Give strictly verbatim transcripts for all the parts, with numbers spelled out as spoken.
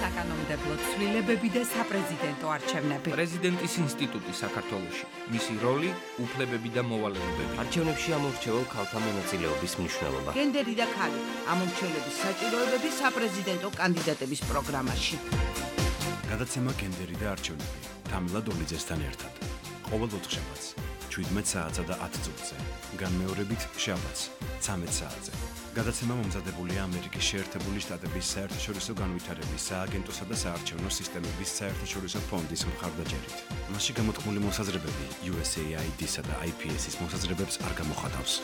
საკანონმდებლო ცვლილებები და საპრეზიდენტო არჩევნები. პრეზიდენტის ინსტიტუტი საქართველოში. მისი როლი, უფლებები და მოვალეობები. არჩევნებში ამორჩეულ ქალთა მონაწილეობის მნიშვნელობა. გენდერი და ქალი. ამორჩევლების საჭიროებები საპრეზიდენტო კანდიდატების პროგრამაში. გადაცემა გენდერი და არჩევნები. თამილა დოლიძესთან ერთად. ყოველ ოთხშაბათს შვიდმეტ საათსა და ათ წუთზე. განმეორებით შაბათს ცამეტ საათზე. გადაცემა მომზადებულია ამერიკის შეერთებული შტატების საერთაშორისო განვითარების სააგენტოსა და საარჩევნო სისტემების საერთაშორისო ფონდის მხარდაჭერით. მასში გამოთქმული მოსაზრებები იუ ეს ეი აი დი-სა და აი პი ეს-ის მოსაზრებებს არ გამოხატავს.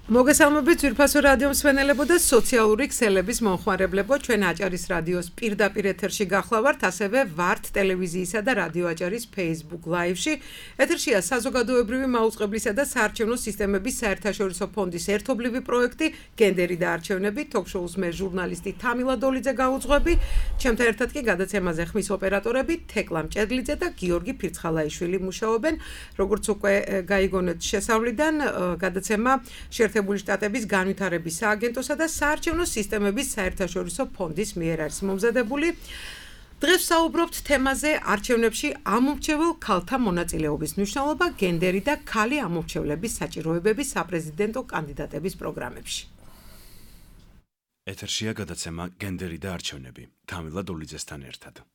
მოგესალმებით ძვირფასო რადიო მსმენელებო და სოციალური ქსელების მომხმარებლებო, ჩვენ აჭარის რადიოს პირდაპირ ეთერში გახლავართ, ასევე ვართ ტელევიზიისა და რადიო აჭარის Facebook Live-ში. ეთერშია საზოგადოებრივი მაუწყებლისა და საარჩევნო სისტემების საერთაშორისო ფონდის ერთობლივი პროექტი გენდერი და არჩევნები, ток-შოუს მე ჟურნალისტი თამილა დოლიძე გაუძღვები, ჩემთან ერთად კი გადაცემაზე ხმის ოპერატორები თეკლა მჭედლიძე და გიორგი ფირცხალაიშვილი მუშაობენ. როგორც უკვე გაიგონეთ შესავლიდან, გადაცემა შეერთებული შტატების განვითარების სააგენტოსა და საარჩევნო სისტემების საერთაშორისო ფონდის მიერ არის მომზადებული. დღეს საუბრობთ თემაზე არჩევნებში ამორჩეულ ქალთა მონაწილეობის მნიშვნელობა, გენდერი და ქალი ამორჩევლების საჭიროებები საპრეზიდენტო კანდიდატების პროგრამებში. ეთერშია გადაცემა გენდერი და არჩევნები. თამილა დოლიძესთან ერთად.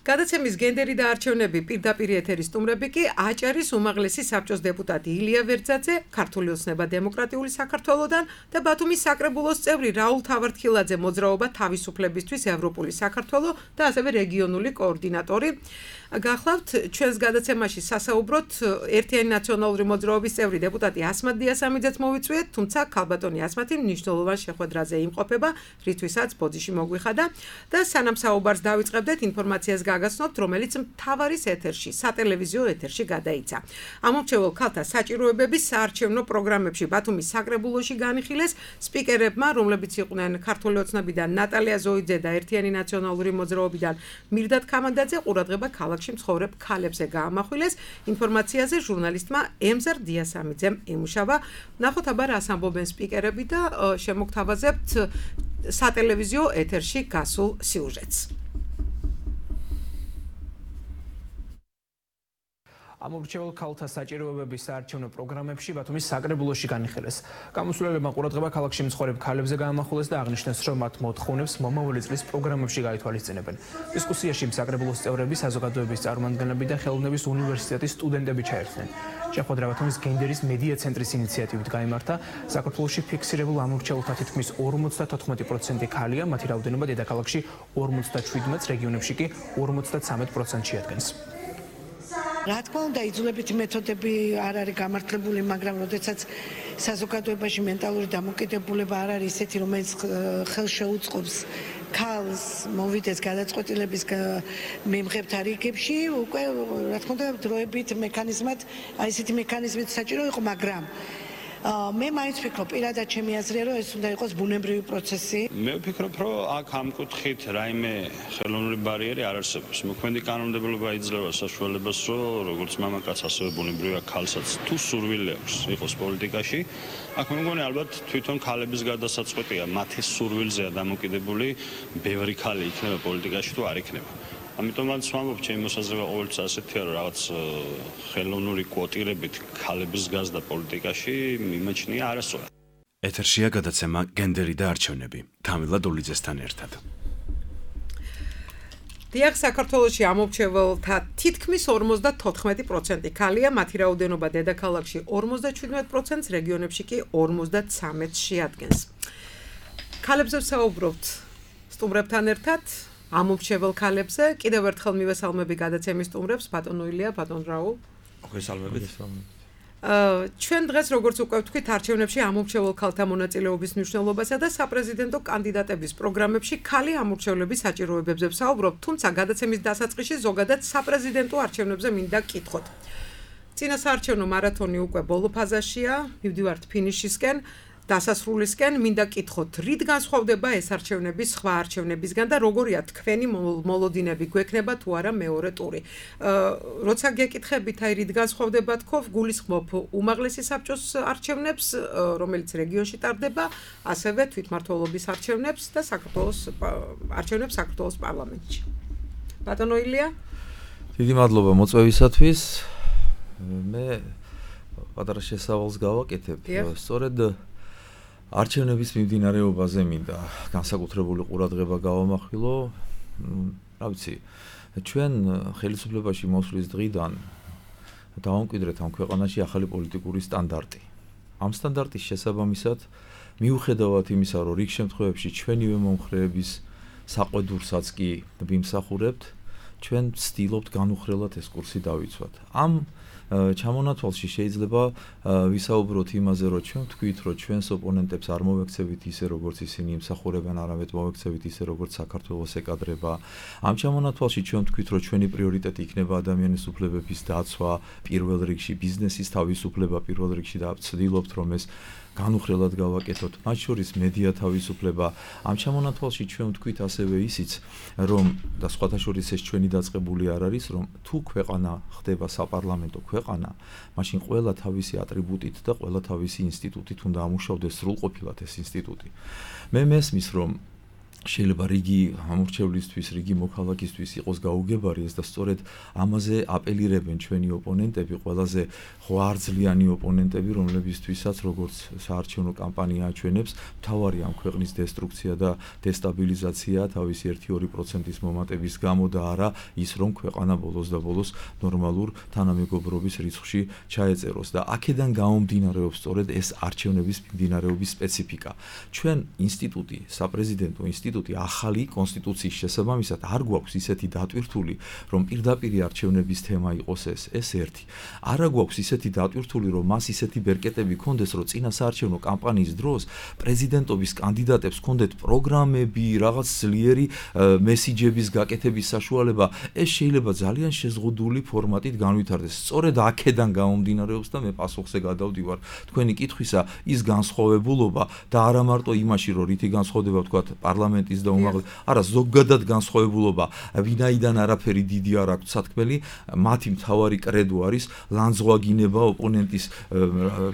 გადაცემის გენდერი და არჩევნები პირდაპირ ეთერის სტუმრები კი აჭარის უმაღლესი საბჭოს დეპუტატი ილია ვერძაძე, ქართული ოცნება დემოკრატიული საქართველოდან და ბათუმის საკრებულოს წევრი რაულ თავართხილაძე მოძრაობა თავისუფლებისთვის ევროპული საქართველო და ასევე რეგიონული კოორდინატორი. გახლავთ ჩვენს გადაცემაში სასაუბროთ ერთიანი ნაციონალური მოძრაობის წევრი დეპუტატი ასმად დიასამიძეც მოვიწვიეთ, თუმცა ქალბატონი ასმათი მნიშვნელოვან შეხვედრაზე იმყოფება, რითვისაც ბოდიში მოგვიხადა და სანამ საუბარს დავიწყებდეთ ინფორმაციას გაგაცნობთ, რომელიც მთავარის ეთერში, სატელევიზიო ეთერში გადაიცა. ამორჩეულ ქალთა საჭიროებების საარჩევნო პროგრამებში ბათუმის საკრებულოში განიხილეს სპიკერებმა, რომლებიც იყვნენ ქართული ოცნებიდან ნატალია ზოიძე და ერთიანი ნაციონალური მოძრაობიდან მირდად ქამანდაძე, ყურადღება ქალაქ მცხოვრებ ქალებზე გაამახვილეს. ინფორმაციაზე ჟურნალისტმა ემზარ დიასამიძემ ემუშავა. ნახოთ აბა რას ამბობენ სპიკერები და შემოგთავაზებთ სატელევიზიო ეთერში გასულ სიუჟეტს. ამორჩეულ ქალთა საჭიროებების საარჩევნო პროგრამებში ბათუმის საკრებულოში განიხილეს. გამოსულებმა ყურადღება ქალაქში მცხოვრებ ქალებზე გაამახვილეს და აღნიშნეს, რომ მათ მოთხოვნებს მომავალი წლის პროგრამებში გაითვალისწინებენ. დისკუსიაში საკრებულოს წევრები, საზოგადოების წარმომადგენლები და ხელოვნების უნივერსიტეტის სტუდენტები ჩაერთნენ. შეხვედრა ბათუმის გენდერის მედია ცენტრის ინიციატივით გაიმართა. საქართველოში ფიქსირებულ ამორჩეულთა თითქმის ორმოცდათოთხმეტი პროცენტი ქალია, მათი რაოდენობა დედაქალაქში ორმოცდაშვიდმეტს, რეგიონებში კი ორმოცდაცამეტ პროცენტს შეადგენს. რა თქმა უნდა, იძულებითი მეთოდები არ არის გამართლებული, მაგრამ როდესაც საზოგადოებაში მენტალური დამოკიდებულება არ არის ისეთი, რომელიც ხელს შეუწყობს ქალს მოვიდეს გადაწყვეტილების მემღებთა რიგებში, უკვე რა თქმა უნდა, დროებით მექანიზმად, აი ესეთი მექანიზმით საჭირო იყო, მაგრამ მე მაინც ვფიქრობ, პირადად ჩემი აზრია, რომ ეს უნდა იყოს ბუნებრივი პროცესი. მე ვფიქრობ, რომ აქ ამ კუთხით რაიმე ხელოვნური ბარიერი არ არსებობს. მოქმედი კანონმდებლობა იძლევა საშუალებას, რომ როგორც მამაკაც, ასევე ბუნებრივია ქალსაც თუ სურვილი აქვს იყოს პოლიტიკაში, აქ მე მგონი ალბათ თვითონ ქალების გადასაწყვეტია, მათი სურვილზეა დამოკიდებული, ბევრი ქალი იქნება პოლიტიკაში თუ არ იქნება. ამიტომაც ვამბობ, ჩემი მოსაზრება ყოველთვის ასეთია, რომ რაღაც ხელოვნური კვოტირებით ქალების გაზრდა პოლიტიკაში მიმაჩნია არასწორად. ეთერშია გადაცემა გენდერი და არჩევნები. თამილა დოლიძესთან ერთად. დიახ, საქართველოში ამორჩეველთა თითქმის ორმოცდათოთხმეტი პროცენტი ქალია, მათი რაოდენობა დედაქალაქში ორმოცდაშვიდმეტ პროცენტს, რეგიონებში კი ორმოცდაცამეტს შეადგენს. ქალებზე ვსაუბრობთ სტუმრებთან ერთად. ამორჩეულ ქალებზე კიდევ ერთხელ მივესალმები გადაცემის სტუმრებს, ბატონ ილია, ბატონ რაულ. მოგესალმებით. ჩვენ დღეს როგორც უკვე ვთქვით, არჩევნებში ამორჩეულ ქალთა მონაწილეობის მნიშვნელობასა და საპრეზიდენტო კანდიდატების პროგრამებში ქალი ამორჩევლების საჭიროებებზე ვსაუბრობთ, თუმცა გადაცემის დასაწყისში ზოგადად საპრეზიდენტო არჩევნებზე მინდა გკითხოთ. წინა საარჩევნო მარათონი უკვე ბოლო ფაზაშია, მივდივართ ფინიშისკენ. დასასრულისკენ მინდა კითხოთ, რით განსხვავდება ეს არჩევნები სხვა არჩევნებისგან და როგორია თქვენი მოლოდინები გვექნება თუ არა მეორე ტური. როცა გეკითხებით, აი რით განსხვავდება თქო, გულისხმობ უმაღლესი საბჭოს არჩევნებს, რომელიც რეგიონში ტარდება, ასევე თვითმმართველობის არჩევნებს და საქართველოს არჩევნებს საქართველოს პარლამენტში. ბატონო ილია? დიდი მადლობა მოწვევისათვის. მე პატარა შესავალს გავაკეთებ. სწორედ არჩევნების მიმდინარეობაზე მინდა განსაკუთრებული ყურადღება გავამახვილო. რა ვიცი, ჩვენ ხელისუფლებაში მოსვლის დღიდან დავამკვიდრეთ ამ ქვეყანაში ახალი პოლიტიკური სტანდარტი. ამ სტანდარტის შესაბამისად, მიუხედავად იმისა, რომ რიგ შემთხვევებში ჩვენივე მომხრეების საყვედურსაც კი ვიმსახურებთ, ჩვენ ვცდილობთ განუხრელად ეს კურსი დავიცვათ. ამ ჩამონათვალში შეიძლება ვისაუბროთ იმაზე, რომ ჩვენ ვთქვით, რომ ჩვენს ოპონენტებს არ მოვექცევით ისე, როგორც ისინი იმსახურებენ, არამედ მოვექცევით ისე, როგორც საქართველოს ეკადრება. ამ ჩამონათვალში ჩვენ ვთქვით, რომ ჩვენი პრიორიტეტი იქნება ადამიანის უფლებების დაცვა, პირველ რიგში ბიზნესის თავისუფლება, პირველ რიგში და ვცდილობთ, რომ ეს განუხრელად გავაკეთოთ, მათ შორის მედია თავისუფლება. ამ ჩამონათვალში ჩვენ ვთქვით ასევე ისიც, რომ და სხვათა შორის ეს ჩვენი დაწყებული არ არის, რომ თუ ქვეყანა ხდება საპარლამენტო ქვეყანა, მაშინ ყველა თავისი ატრიბუტით და ყველა თავისი ინსტიტუტით უნდა ამუშავდეს სრულყოფილად ეს ინსტიტუტი. მე მესმის, რომ შეიძლება რიგი ამორჩევლისთვის, რიგი მოქალაქისთვის იყოს გაუგებარი ეს და სწორედ ამაზე აპელირებენ ჩვენი ოპონენტები, ყველაზე ღვიძლიანი ოპონენტები, რომლებისთვისაც როგორც საარჩევნო კამპანია აჩვენებს, მთავარი ამ ქვეყნის დესტრუქცია და დესტაბილიზაცია თავისი ერთი-ორი პროცენტის მომატების გამო და არა ის, რომ ქვეყანა ბოლოს და ბოლოს ნორმალურ თანამეგობრობის რიცხვში ჩაეწეროს და აქედან გამომდინარეობს სწორედ ეს არჩევნების მიმდინარეობის სპეციფიკა. ჩვენ ინსტიტუტი, საპრეზიდენტო ინსტიტუტი ახალი კონსტიტუციის შესაბამისად არ გვაქვს ისეთი დატვირთული, რომ პირდაპირ არჩევნების თემა იყოს ეს, ეს ერთი. არა გვაქვს ისეთი დატვირთული, რომ მას ისეთი ბერკეტები ქონდეს, რომ წინა საარჩევნო კამპანიის დროს პრეზიდენტობის კანდიდატებს ქონდეთ პროგრამები, რაღაც ძლიერი მესიჯების გაკეთების საშუალება. ეს შეიძლება ძალიან შეზღუდული ფორმატით განვითარდეს. სწორედ აქედან გამომდინარეობს და მე პასუხზე გადავდივარ თქვენი კითხვისა, ის განსხვავებულობა და არა მარტო იმაში, რომ რითი განსხვავდება თქვა პარლამენტის და უმაღლეს, არა ზოგადად განსხვავებულობა, ვინაიდან არაფერი დიდი არ აქვს სათქმელი, მათი მთავარი კრედო არის ლანძღვაგინება, ოპონენტის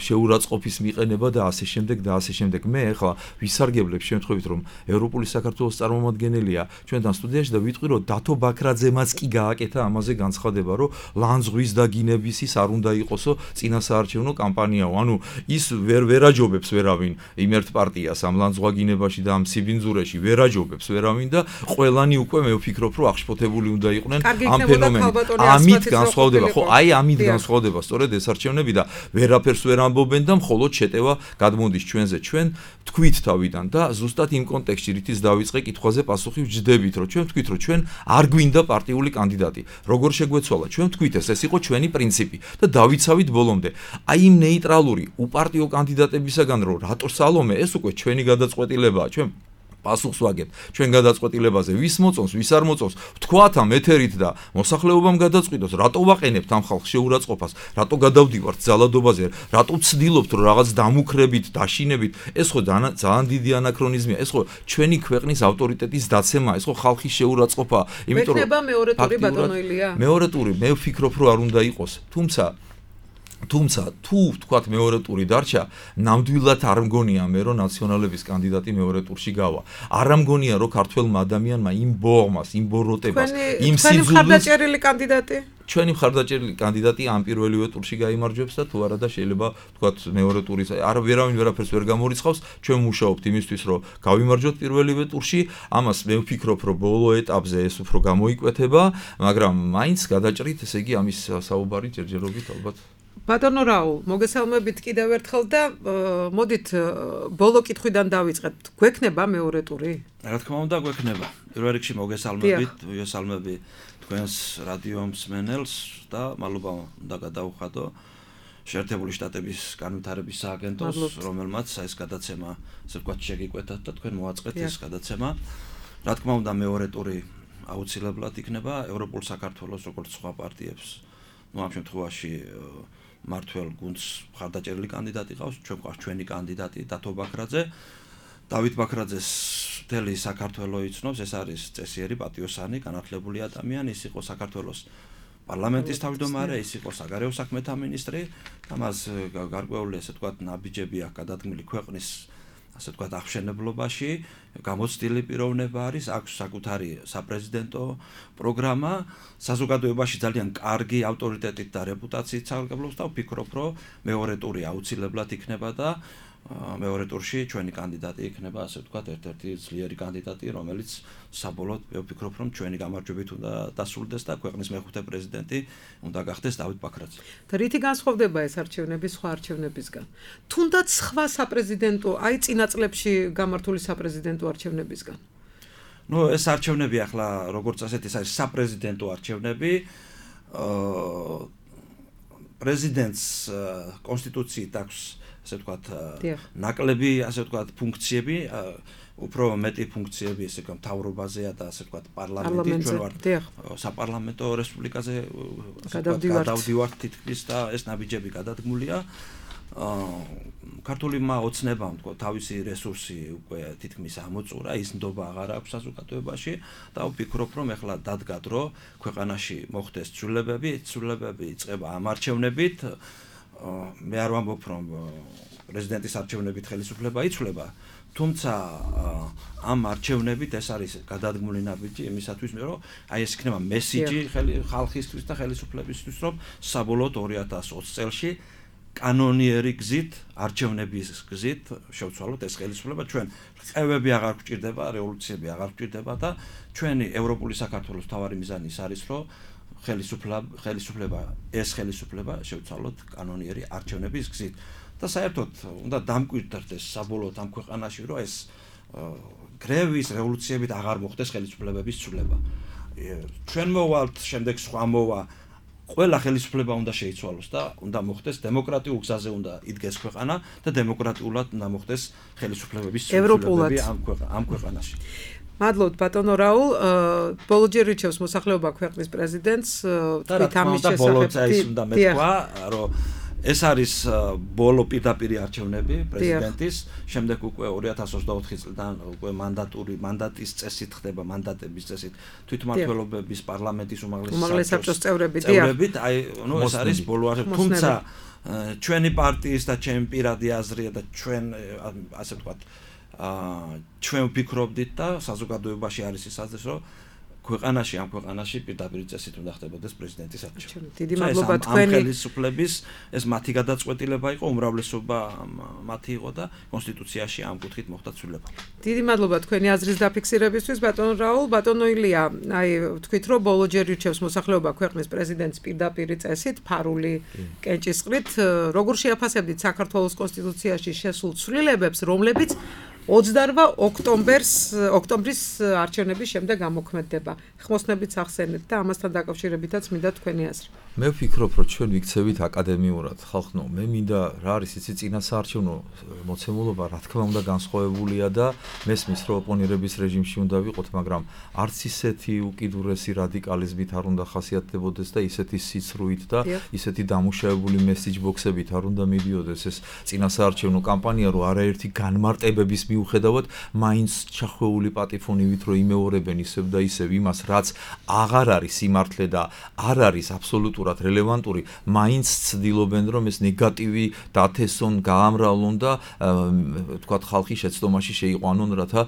შეურაცხყოფის მიყენება და ასე შემდეგ და ასე შემდეგ. მე ახლა ვისარგებლებ შემთხვევით, რომ ევროპული საქართველოს წარმომადგენელია ჩვენთან სტუდიაში და ვიტყვი, რომ დათო ბაქრაძემაც კი გააკეთა ამაზე განცხადება, რომ ლანძღვის და გინების ის არ უნდა იყოსო წინა საარჩევნო კამპანიაო. ანუ ის ვერ ვერაჯობებს ვერავინ იმ ერთ პარტიას ამ ლანძღვაგინებაში და ამ სიბინძურეში ვერაჯობებს ვერავინ და ყველანი უკვე მე ვფიქრობ, რომ აღშფოთებული უნდა იყვნენ ამ ფენომენით. ამით განსხვავდება, ხო, აი ამით განსხვავდება სწორედ ეს არჩევნები და ვერაფერს ვერ ამბობენ და მხოლოდ შეტევა გადმოდის ჩვენზე. ჩვენ თქვით თავიდან და ზუსტად იმ კონტექსტში რითიც დავიწყე კითხვაზე პასუხი ვჯდებით, რომ ჩვენ თქვით, რომ ჩვენ არ გვინდა პარტიული კანდიდატი. როგორ შეგვეცვალა? ჩვენ თქვით ეს, ეს იყო ჩვენი პრინციპი და დავიცავით ბოლომდე. აი იმ ნეიტრალური უპარტიო კანდიდატებისაგან რომ რატო სალომე, ეს უკვე ჩვენი გადაწყვეტილებაა. ჩვენ პასუხს ვაგებთ ჩვენ გადაწყვეტილებაზე, ვის მოწონს, ვის არ მოწონს, ვთქვათ ამ ეთერით და მოსახლეობამ გადაწყვიტოს, რატო ვაყენებთ ამ ხალხს შეურაცხყოფას, რატო გადავდივართ ძალადობაზე, რატო ვცდილობთ რომ რაღაც დამუქრებით, დაშინებით, ეს ხო ძალიან დიდი ანაქრონიზმია, ეს ხო ჩვენი ქვეყნის ავტორიტეტის დაცემა, ეს ხო ხალხის შეურაცხყოფა, იმიტომ რომ მექნება მეორე ტური ბატონო ილია. მეორე ტური, მე ვფიქრობ რომ არ უნდა იყოს, თუმცა თუმცა თუ ვთქვათ მეორე ტური დარჩა, ნამდვილად არ მგონია მე რომ ნაციონალების კანდიდატი მეორე ტურში გავა. არ მგონია რომ ქართველმა ადამიანმა იმ ბოღმას, იმ ბოროტებას, იმ სიძულვილს ჩვენი მხარდაჭერილი კანდიდატი ჩვენი მხარდაჭერილი კანდიდატი ამ პირველივე ტურში გაიმარჯვებს და თუ არა და შეიძლება ვთქვათ მეორე ტურის არ ვერავინ ვერაფერს ვერ გამორიცხავს, ჩვენ მუშაობთ იმისთვის რომ გავიმარჯვოთ პირველივე ტურში, ამას მე ვფიქრობ რომ ბოლო ეტაპზე ეს უფრო გამოიკვეთება, მაგრამ მაინც გადაჭრით, ესე იგი ამის საუბარი ჯერჯერობით ალბათ ბატონო რაულ, მოგესალმებით კიდევ ერთხელ და მოდით ბოლო კითხვიდან დავიწყეთ. გვექნება მეორე ტური? რა თქმა უნდა, გვექნება. პირველ რიგში მოგესალმებით, ვიესალმები თქვენს რადიო მსმენელს და მადლობა უნდა გადაუხადო შეერთებული შტატების განვითარების სააგენტოს, რომელმაც ეს გადაცემა, ასე ვთქვათ, შეგიკვეთათ და თქვენ მოაწყეთ ეს გადაცემა. რა თქმა უნდა, მეორე ტური აუცილებლად იქნება ევროპულ საქართველოს როგორც სხვა პარტიებს. ну ამ შემთხვევაში მართველ გუნდს მხარდაჭერილი კანდიდატი ყავს, ჩვენ გვყავს ჩვენი კანდიდატი დათო ბაქრაძე. დავით ბაქრაძეს მთელი საქართველო იცნობს, ეს არის წესიერი პატიოსანი, განათლებული ადამიანი, ის იყო საქართველოს პარლამენტის თავმჯდომარე, ის იყო საგარეო საქმეთა მინისტრი, ამას გარკვეული ასე ვთქვათ ნაბიჯები აქვს გადადგმილი ქვეყნის ასე ვთქვათ აღშენებლობაში, გამოცდილი პიროვნება არის, აქვს საკუთარი საპრეზიდენტო პროგრამა, საზოგადოებაში ძალიან კარგი ავტორიტეტით და რეპუტაციით სარგებლობს და ვფიქრობ, რომ მეორე ტური აუცილებლად იქნება და მეორე ტურში ჩვენი კანდიდატი იქნება, ასე ვთქვათ, ერთ-ერთი ძლიერი კანდიდატი, რომელიც საბოლოოდ ვფიქრობ, რომ ჩვენი გამარჯვებით უნდა დასრულდეს და ქვეყნის მეხუთე პრეზიდენტი უნდა გახდეს დავით ბაქრაძე. და რითი განსხვავდება ეს არჩევნები სხვა არჩევნებისგან? თუნდაც სხვა საპრეზიდენტო, აი წინა წლებში გამართული საპრეზიდენტო არჩევნებისგან? ნუ ეს არჩევნები ახლა როგორც ასეთ ეს არის საპრეზიდენტო არჩევნები. აა პრეზიდენტს კონსტიტუციით აქვს ასე ვთქვათ, ნაკლები, ასე ვთქვათ, ფუნქციები, უფრო მეტი ფუნქციები ესე მთავრობაზეა და ასე ვთქვათ, პარლამენტი, ჩვენ ვართ საპარლამენტო რესპუბლიკაზე გადავდივართ თითქმის და ეს ნაბიჯები გადადგმულია. ქართულმა ოცნებამ თქვა თავისი რესურსი უკვე თითქმის ამოწურა, ის ნდობა აღარ აქვს საზოგადოებაში და ვფიქრობ, რომ ეხლა დადგა დრო ქვეყანაში მოხდეს ცვლილებები, ცვლილებები იწყება ამ არჩევნებით. მე არ ვამბობ, რომ პრეზიდენტის არჩევნებით ხელისუფლება იცვლება, თუმცა ამ არჩევნებით ეს არის გადადგმული ნაბიჯი იმისათვის, რომ აი ეს იქნება მესიჯი ხალხისთვის და ხელისუფლებისთვის, რომ საბოლოოდ ორი ათას ოცი წელში კანონიერი გზით, არჩევნების გზით შევცვალოთ ეს ხელისუფლება, ჩვენ ყევები აღარ გვჭირდება, რევოლუციები აღარ გვჭირდება და ჩვენი ევროპული საქართველოს მთავარი მიზანი ის არის, რომ ხელისუფლება ხელისუფლება ეს ხელისუფლება შევცვალოთ კანონიერი არჩევნების გზით და საერთოდ უნდა დამკვიდრდეს საბოლოოდ ამ ქვეყანაში, რომ ეს გრევის რევოლუციებით აღარ მოხდეს ხელისუფლებების ცვლილება. ჩვენ მოვალთ, შემდეგ სხვა მოვა, ყველა ხელისუფლება უნდა შეიცვალოს და უნდა მოხდეს დემოკრატიულ გზაზე უნდა იდგეს ქვეყანა და დემოკრატიულად უნდა მოხდეს ხელისუფლებების ცვლილებები ამ ქვეყანაში. მადლობთ ბატონო რაულ, ბოლო ჯერ რჩევს მოსახლეობა ქვეყნის პრეზიდენტს, თქვით ამის შესახებ უნდა მეთქვა, რომ ეს არის ბოლო პირდაპირი არჩევნები პრეზიდენტის, შემდეგ უკვე ორი ათას ოცდაოთხი წლიდან უკვე მანდატური მანდატის წესით ხდება, მანდატების წესით თვითმმართველობების პარლამენტის უმაღლესი საბჭოს წევრები, წევრებით, აი, ნუ ეს არის ბოლო არჩევნები, თუმცა ჩვენი პარტიის და ჩემი პირადი აზრია და ჩვენ ასე ვთქვათ აა ჩვენ ვფიქრობდით და საზოგადოებაში არის ის აზრი, რომ ქვეყანაში ამ ქვეყანაში პირდაპირ წესით უნდა ხდებოდეს პრეზიდენტის არჩევნები. დიდი მადლობა თქვენი ხელისუფლების ეს მათი გადაწყვეტილება იყო, უმრავლესობა მათი იყო და კონსტიტუციაში ამ კუთხით მოხდა ცვლილება. დიდი მადლობა თქვენი აზრის დაფიქსირებისთვის, ბატონო რაულ, ბატონო ილია, აი თქვით რომ ბოლო ჯერ ირჩევს მოსახლეობა ქვეყნის პრეზიდენტს პირდაპირ წესით, ფარული კენჭისყრით, როგორ შეაფასებდით საქართველოს კონსტიტუციაში შესულ ცვლილებებს, რომლებიც ოცდაოთხ ოქტომბერს ოქტომბრის არჩევნების შემდეგ გამოქმედება. ხმოსნებით ახსენეთ და ამასთან დაკავშირებითაც მინდა თქვენი აზრი. მე ვფიქრობ, რომ ჩვენ ვიქცევით აკადემიურად, ხალხო, მე მინდა რა არის იცი წინა საარჩევნო მოცემულობა, რა თქმა უნდა განსხვავებულია და მესმის რომ ოპონირების რეჟიმში უნდა ვიყოთ, მაგრამ არც ისეთი უკიდურესი რადიკალიზმით არ უნდა ხასიათდებოდეს და ისეთი სიცრუით და ისეთი დამუშავებული მესიჯ ბოქსებით არ უნდა მიდიოდეს ეს წინა საარჩევნო კამპანია, რომ არაერთი განმარტებების მიუხედავად მაინც ჩახვეული პატიფონივით რომ იმეორებენ ისევ და ისევ იმას, რაც აღარ არის სიმართლე და არ არის აბსოლუტურად რელევანტური, მაინც ცდილობენ რომ ეს ნეგატივი დათესონ, გაამრავლონ და თქვათ ხალხი შეცდომაში შეიყვანონ, რათა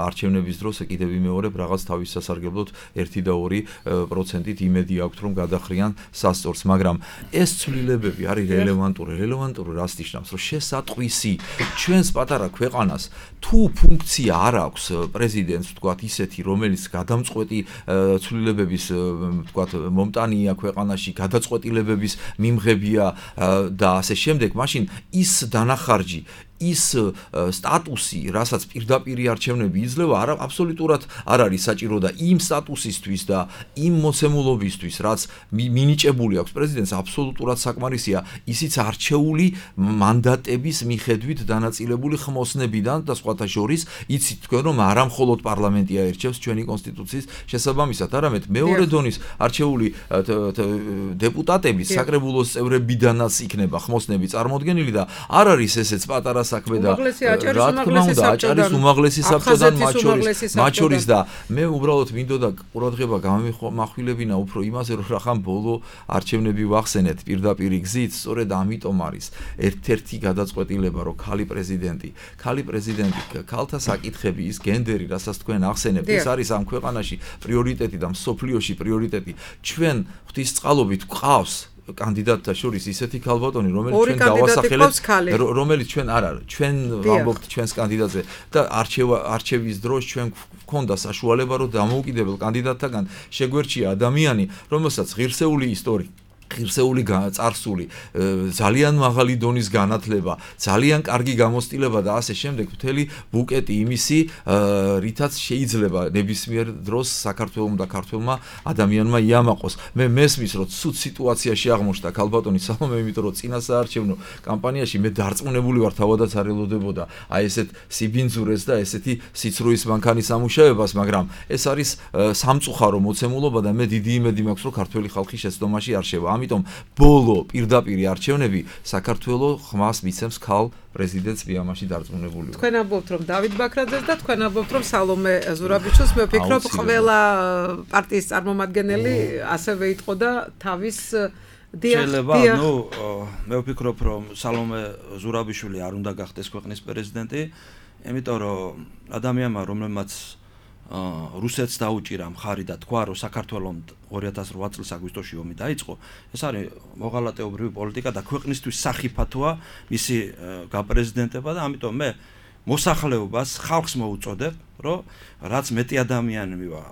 არჩევნების დროს კიდევ ვიმეორებ რაღაც თავის სასარგებლოდ ერთი და ორი პროცენტით იმედი აქვთ რომ გადახრიან სასწორს, მაგრამ ეს ცვლილებები არის რელევანტური, რელევანტური რას ნიშნავს, რომ შესატყვისი ჩვენს პატარა ქვეყანას თუ ფუნქცია არ აქვს პრეზიდენტს, თქვათ ისეთი, რომელიც გადამწყვეტი ცვლილებების, თქვათ, მომტანია ქვეყანაში, გადაწყვეტილებების მიმღებია და ასე შემდეგ, მაშინ ის დანახარჯი, ის სტატუსი, რასაც პირდაპირი არჩევნები იძლევა, არა აბსოლუტურად არ არის საჭირო და იმ სტატუსისთვის და იმ მოცემულობისთვის, რაც მინიჭებული აქვს პრეზიდენტს, აბსოლუტურად საკმარისია ისიც არჩეული მანდატების მიხედვით დანაწილებული ხმოსნებიდან და სხვათა შორის იცით თქვენ რომ არა მხოლოდ პარლამენტი აირჩევს ჩვენი კონსტიტუციის შესაბამისად, არამედ მეორე დონის არჩეული დეპუტატები საკრებულოს წევრებიდანაც იქნება ხმოსნები წარმოდგენილი და არ არის ესეც პატარა საქმე და რა თქმა უნდა აჭარის უმაღლესი საბჭოდან მათ შორის და მე უბრალოდ მინდოდა ყურადღება გამახვილებინა უფრო იმაზე რომ რახან ბოლო არჩევნები ვახსენეთ პირდაპირი გზით, სწორედ ამიტომ არის ერთ-ერთი გადაწყვეტილება რომ ქალი პრეზიდენტი, ქალი პრეზიდენტი, ქალთა საკითხები, ის გენდერი, რასაც თქვენ ახსენებთ, ეს არის ამ ქვეყანაში პრიორიტეტი და მსოფლიოში პრიორიტეტი. ჩვენ ღვთისწყალობით გვყავს კანდიდატთა შორის ისეთი ქალბატონი, რომელიც ჩვენ დავასახელებთ, რომელიც ჩვენ არ არის, ჩვენ ვამბობთ ჩვენს კანდიდატზე და არჩევა არჩევის დროს ჩვენ გვქონდა საშუალება რომ დამოუკიდებელ კანდიდატთაგან შეგვერჩია ადამიანი, რომელსაც ღირსეული ისტორია ღირსეული წარსული, ძალიან მაღალი დონის განათლება, ძალიან კარგი გამოცდილება და ასე შემდეგ მთელი ბუკეტი იმისი, რითაც შეიძლება ნებისმიერ დროს საქართველოს და ქართველმა ადამიანმა იამაყოს. მე მესმის რომ ცუდ სიტუაციაში აღმოჩნდა ქალბატონი სალომე, იმიტომ რომ წინა საარჩევნო კამპანიაში მე დარწმუნებული ვარ თავადაც არ ელოდებოდა აი ესეთ სიბინძურეს და ესეთი სიცრუის მანქანის ამუშავებას, მაგრამ ეს არის სამწუხარო მოცემულობა და მე დიდი იმედი მაქვს რომ ქართველი ხალხი შეცდომაში არ შევა. ამიტომ ბოლო პირდაპირი არჩევნები საქართველოს ხმას მიცემს ქალ პრეზიდენტს მე ამაში დარწმუნებული ვარ. თქვენ ამბობთ რომ დავით ბაქრაძეს და თქვენ ამბობთ რომ სალომე ზურაბიშვილს, მე ვფიქრობ ყველა პარტიის წარმომადგენელი ასევე იტყოდა თავის შეიძლება, ნუ მე ვფიქრობ რომ სალომე ზურაბიშვილი არ უნდა გახდეს ქვეყნის პრეზიდენტი, იმიტომ რომ ადამიანმა რომელმაც რუსეთს დაუჭირა მხარი და თქვა რომ საქართველოს ორი ათას ოთხ წლის აგვისტოში ომი დაიწყო, ეს არის მოღალატეობრივი პოლიტიკა და ქვეყნისთვის სახიფათოა მისი გაპრეზიდენტება და ამიტომ მე მოსახლეობას ხალხს მოუწოდებ, რომ რაც მეტი ადამიანი მივა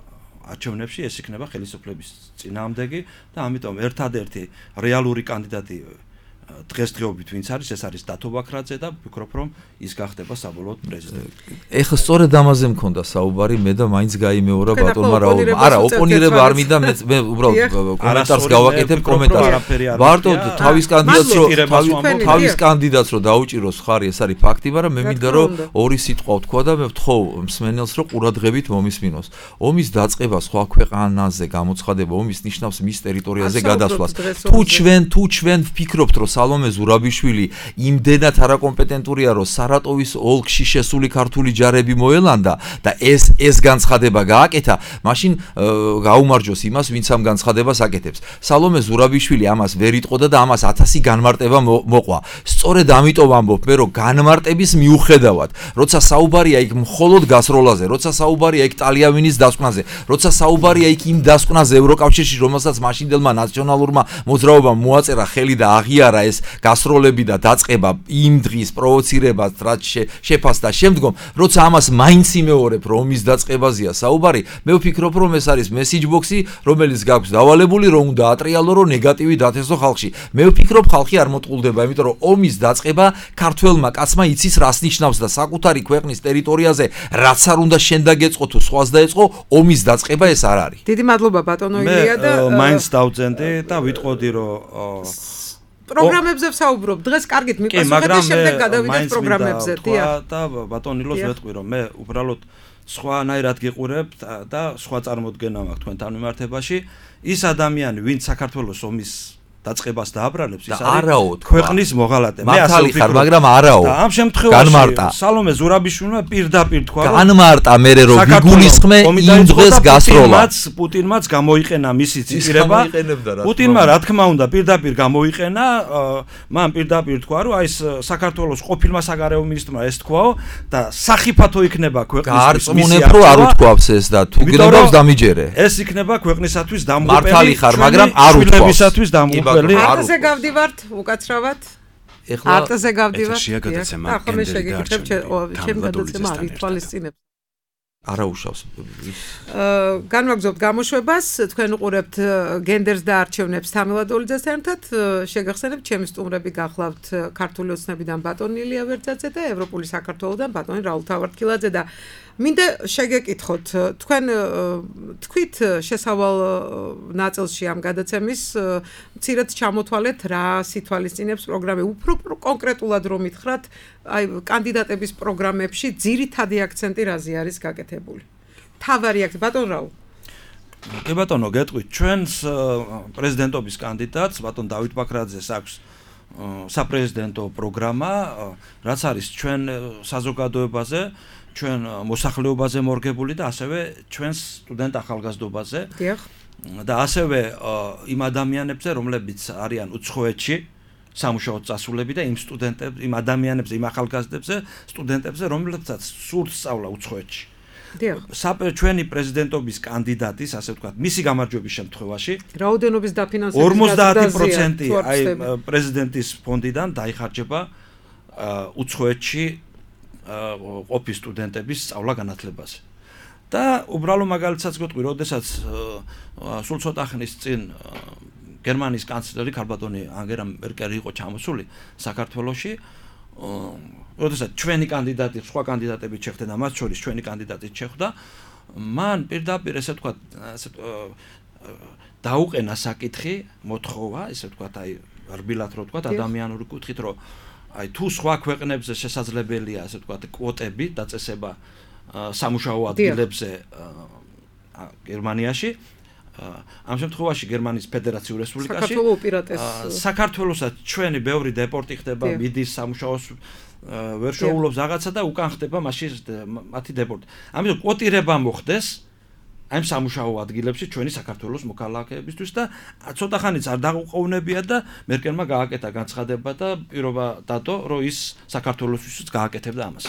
არჩევნებში, ეს იქნება ხელისუფლების წინააღმდეგი და ამიტომ ერთადერთი რეალური კანდიდატი დღესდღეობით ვინც არის, ეს არის დათო ბაქრაძე და ვფიქრობ რომ ის გახდება საბოლოოდ პრეზიდენტი. ეხლა სწორედ ამაზე მქონდა საუბარი, მე და მაინც გაიმეორა ბატონმა რაულმა. არა, ოპონირება არ მინდა, მე მე უბრალოდ კომენტარს გავაკეთებ, კომენტარს. მარტო თავის კანდიდატს რო თავის კანდიდატს რო დაუჭიროს ხარი, ეს არის ფაქტი, მაგრამ მე მინდა რომ ორი სიტყვა ვთქვა და მე ვთხოვ მსმენელს რომ ყურადღებით მომისმინოს. ომის დაწყება სხვა ქვეყანაზე გამოცხადება, ომის ნიშნავს მის ტერიტორიაზე გადასვლას. თუ ჩვენ თუ ჩვენ ვფიქრობთ რომ სალომე ზურაბიშვილი იმდენად არაკომპეტენტურია, რომ სარატოვის ოლქში შესული ქართული ჯარები მოელანდა და ეს ეს განცხადება გააკეთა, მაშინ გაუმარჯოს იმას, ვინც ამ განცხადებას აკეთებს. სალომე ზურაბიშვილი ამას ვერ იტყოდა და ამას ათასი განმარტება მოყვა. სწორედ ამიტომ ამბობ მე, რომ განმარტების მიუხედავად, როცა საუბარია იქ მხოლოდ გასროლაზე, როცა საუბარია იქ ტალიამინის დასკვნაზე, როცა საუბარია იქ იმ დასკვნაზე ევროკავშირში, რომელსაც მაშინდელმა ნაციონალურმა მოძრაობამ მოაწერა ხელი და აღიარა ეს გასროლები და დაწყება იმ დღის პროვოცირებას, რაც შეფასდა შემდგომ, როცა ამას მაინც იმეორებ, რომ ომის დაწყებაზეა საუბარი, მე ვფიქრობ, რომ ეს არის მესიჯ ბოქსი, რომელიც გაქვს დავალებული, რომ უნდა ატრიალო, რომ ნეგატივი დათესო ხალხში. მე ვფიქრობ, ხალხი არ მოტყულდება, იმიტომ რომ ომის დაწყება ქართველმა კაცმა იცის რას ნიშნავს და საკუთარი ქვეყნის ტერიტორიაზე რაც არ უნდა შენ დაგეწყო თუ სხვას დაეწყო, ომის დაწყება ეს არ არის. დიდი მადლობა ბატონო ილია და მე მაინც დავწენდი და ვიტყოდი, რომ პროგრამებზე ვსაუბრობ. დღეს კარგით მიყასუხეთ და შემდეგ გადავიდეთ პროგრამებზე. დიახ. და ბატონილოს ვეთყვი, რომ მე უბრალოდ სხვანაირად გიყურებ და სხვა წარმოდგენა მაქვს თქვენთან მიმართებაში. ის ადამიანი, ვინც საქართველოს ომის დაწყებას დააბრალებს, ის არის ქვეყნის მოღალატე. მე ასე ვფიქრობ, მაგრამ არაო. და ამ შემთხვევაში სალომე ზურაბიშვილმა პირდაპირ თქვა, რომ განმარტა მერე რომ ვიგულისხმე იმ დღეს გასროლა. პუტინმაც გამოიყენა მისი ციტირება. პუტინმა რა თქმა უნდა პირდაპირ გამოიყენა, მან პირდაპირ თქვა, რომ აი ეს საქართველოს ყოფილმა საგარეო მინისტრმა ეს თქვაო და სახიფათო იქნება ქვეყნისთვის მისია. გარწმუნებ რომ არ უთქვავს ეს და თუ გნებავს დამიჯერე. ეს იქნება ქვეყნისათვის დამღუპელი. მართალი ხარ, მაგრამ არ უთქვავს. არტზე გავდივართ უკაცრავად. ეხლა არტზე გავდივართ. ახლა მე შეგეკითხებ ჩემ ჩემ გადაცემა არ ითვალისწინებს. არაუშავს ის განვაგრძობთ გამოშვებას თქვენ უყურებთ გენდერს და არჩევნებს თამილად დოლიძესთან ერთად შეგახსენებთ ჩემი სტუმრები გახლავთ ქართული ოცნებიდან ბატონი ილია ვერძაძე და ევროპული საქართველოსდან ბატონი რაულ თავართქილაძე და მინდა შეგეკითხოთ თქვენ თქვით შესავალ ნაწილში ამ გადაცემის მცირედ ჩამოთვალეთ რა სითვალისწინებს პროგრამები უფრო კონკრეტულად რომ მითხრათ აი კანდიდატების პროგრამებში ძირითადი აქცენტი რაზე არის გაკეთებული თავარი აქცენტი ბატონ რაულ კი ბატონო გეტყვით ჩვენს პრეზიდენტობის კანდიდატს ბატონ დავით ბაქრაძეს აქვს საპრეზიდენტო პროგრამა რაც არის ჩვენ საზოგადოებაზე ჩვენ მოსახლეობაზე მორგებული და ასევე ჩვენს სტუდენტ ახალგაზრდობაზე და ასევე იმ ადამიანებზე რომლებიც არიან უცხოეთში სამუშაოდ წასულები და იმ სტუდენტებს იმ ადამიანებზე იმ ახალგაზრდებზე სტუდენტებზე რომლებსაც სურთ სწავლა უცხოეთში ჩვენი პრეზიდენტობის კანდიდატის ასე ვთქვათ მისი გამარჯვების შემთხვევაში რაოდენობის დაფინანსების ორმოცდაათი პროცენტი აი პრეზიდენტის ფონდიდან დაიხარჯება უცხოეთში ყოფის სტუდენტების სწავლა განათლებაზე. და უბრალო მაგალითსაც გეტყვი, როდესაც სულ ცოტა ხნის წინ გერმანიის კანცლერი ქალბატონი ანგელა მერკელი იყო ჩამოსული საქართველოში, როდესაც ჩვენი კანდიდატი, სხვა კანდიდატები შეხვდნენ და მათ შორის ჩვენი კანდიდატი შეხვდა, მან პირდაპირ ესე ვთქვათ, ასე დაუყენა საკითხი, მოთხოვა, ესე ვთქვათ, აი რბილად რო ვთქვათ, ადამიანური კუთხით, რომ აი თუ სხვა ქვეყნებზე შესაძლებელია ასე ვთქვათ კვოტები დაწესება სამუშაო ადგილებზე გერმანიაში ამ შემთხვევაში გერმანიის ფედერაციულ რესპუბლიკაში საქართველოსაც ჩვენი ბევრი დეპორტი ხდება მიდის სამუშაოს ვერ შეულობს რაღაცა და უკან ხდება მაშინ მათი დეპორტი ამიტომ კვოტირება მოხდეს ამ სამუშაო ადგილებში ჩვენი საქართველოს მოქალაქეებისთვის და ცოტა ხანიც არ დაუყოვნებია და მერკელმა გააკეთა განცხადება და პირობა დადო რომ ის საქართველოსთვის გააკეთებდა ამას.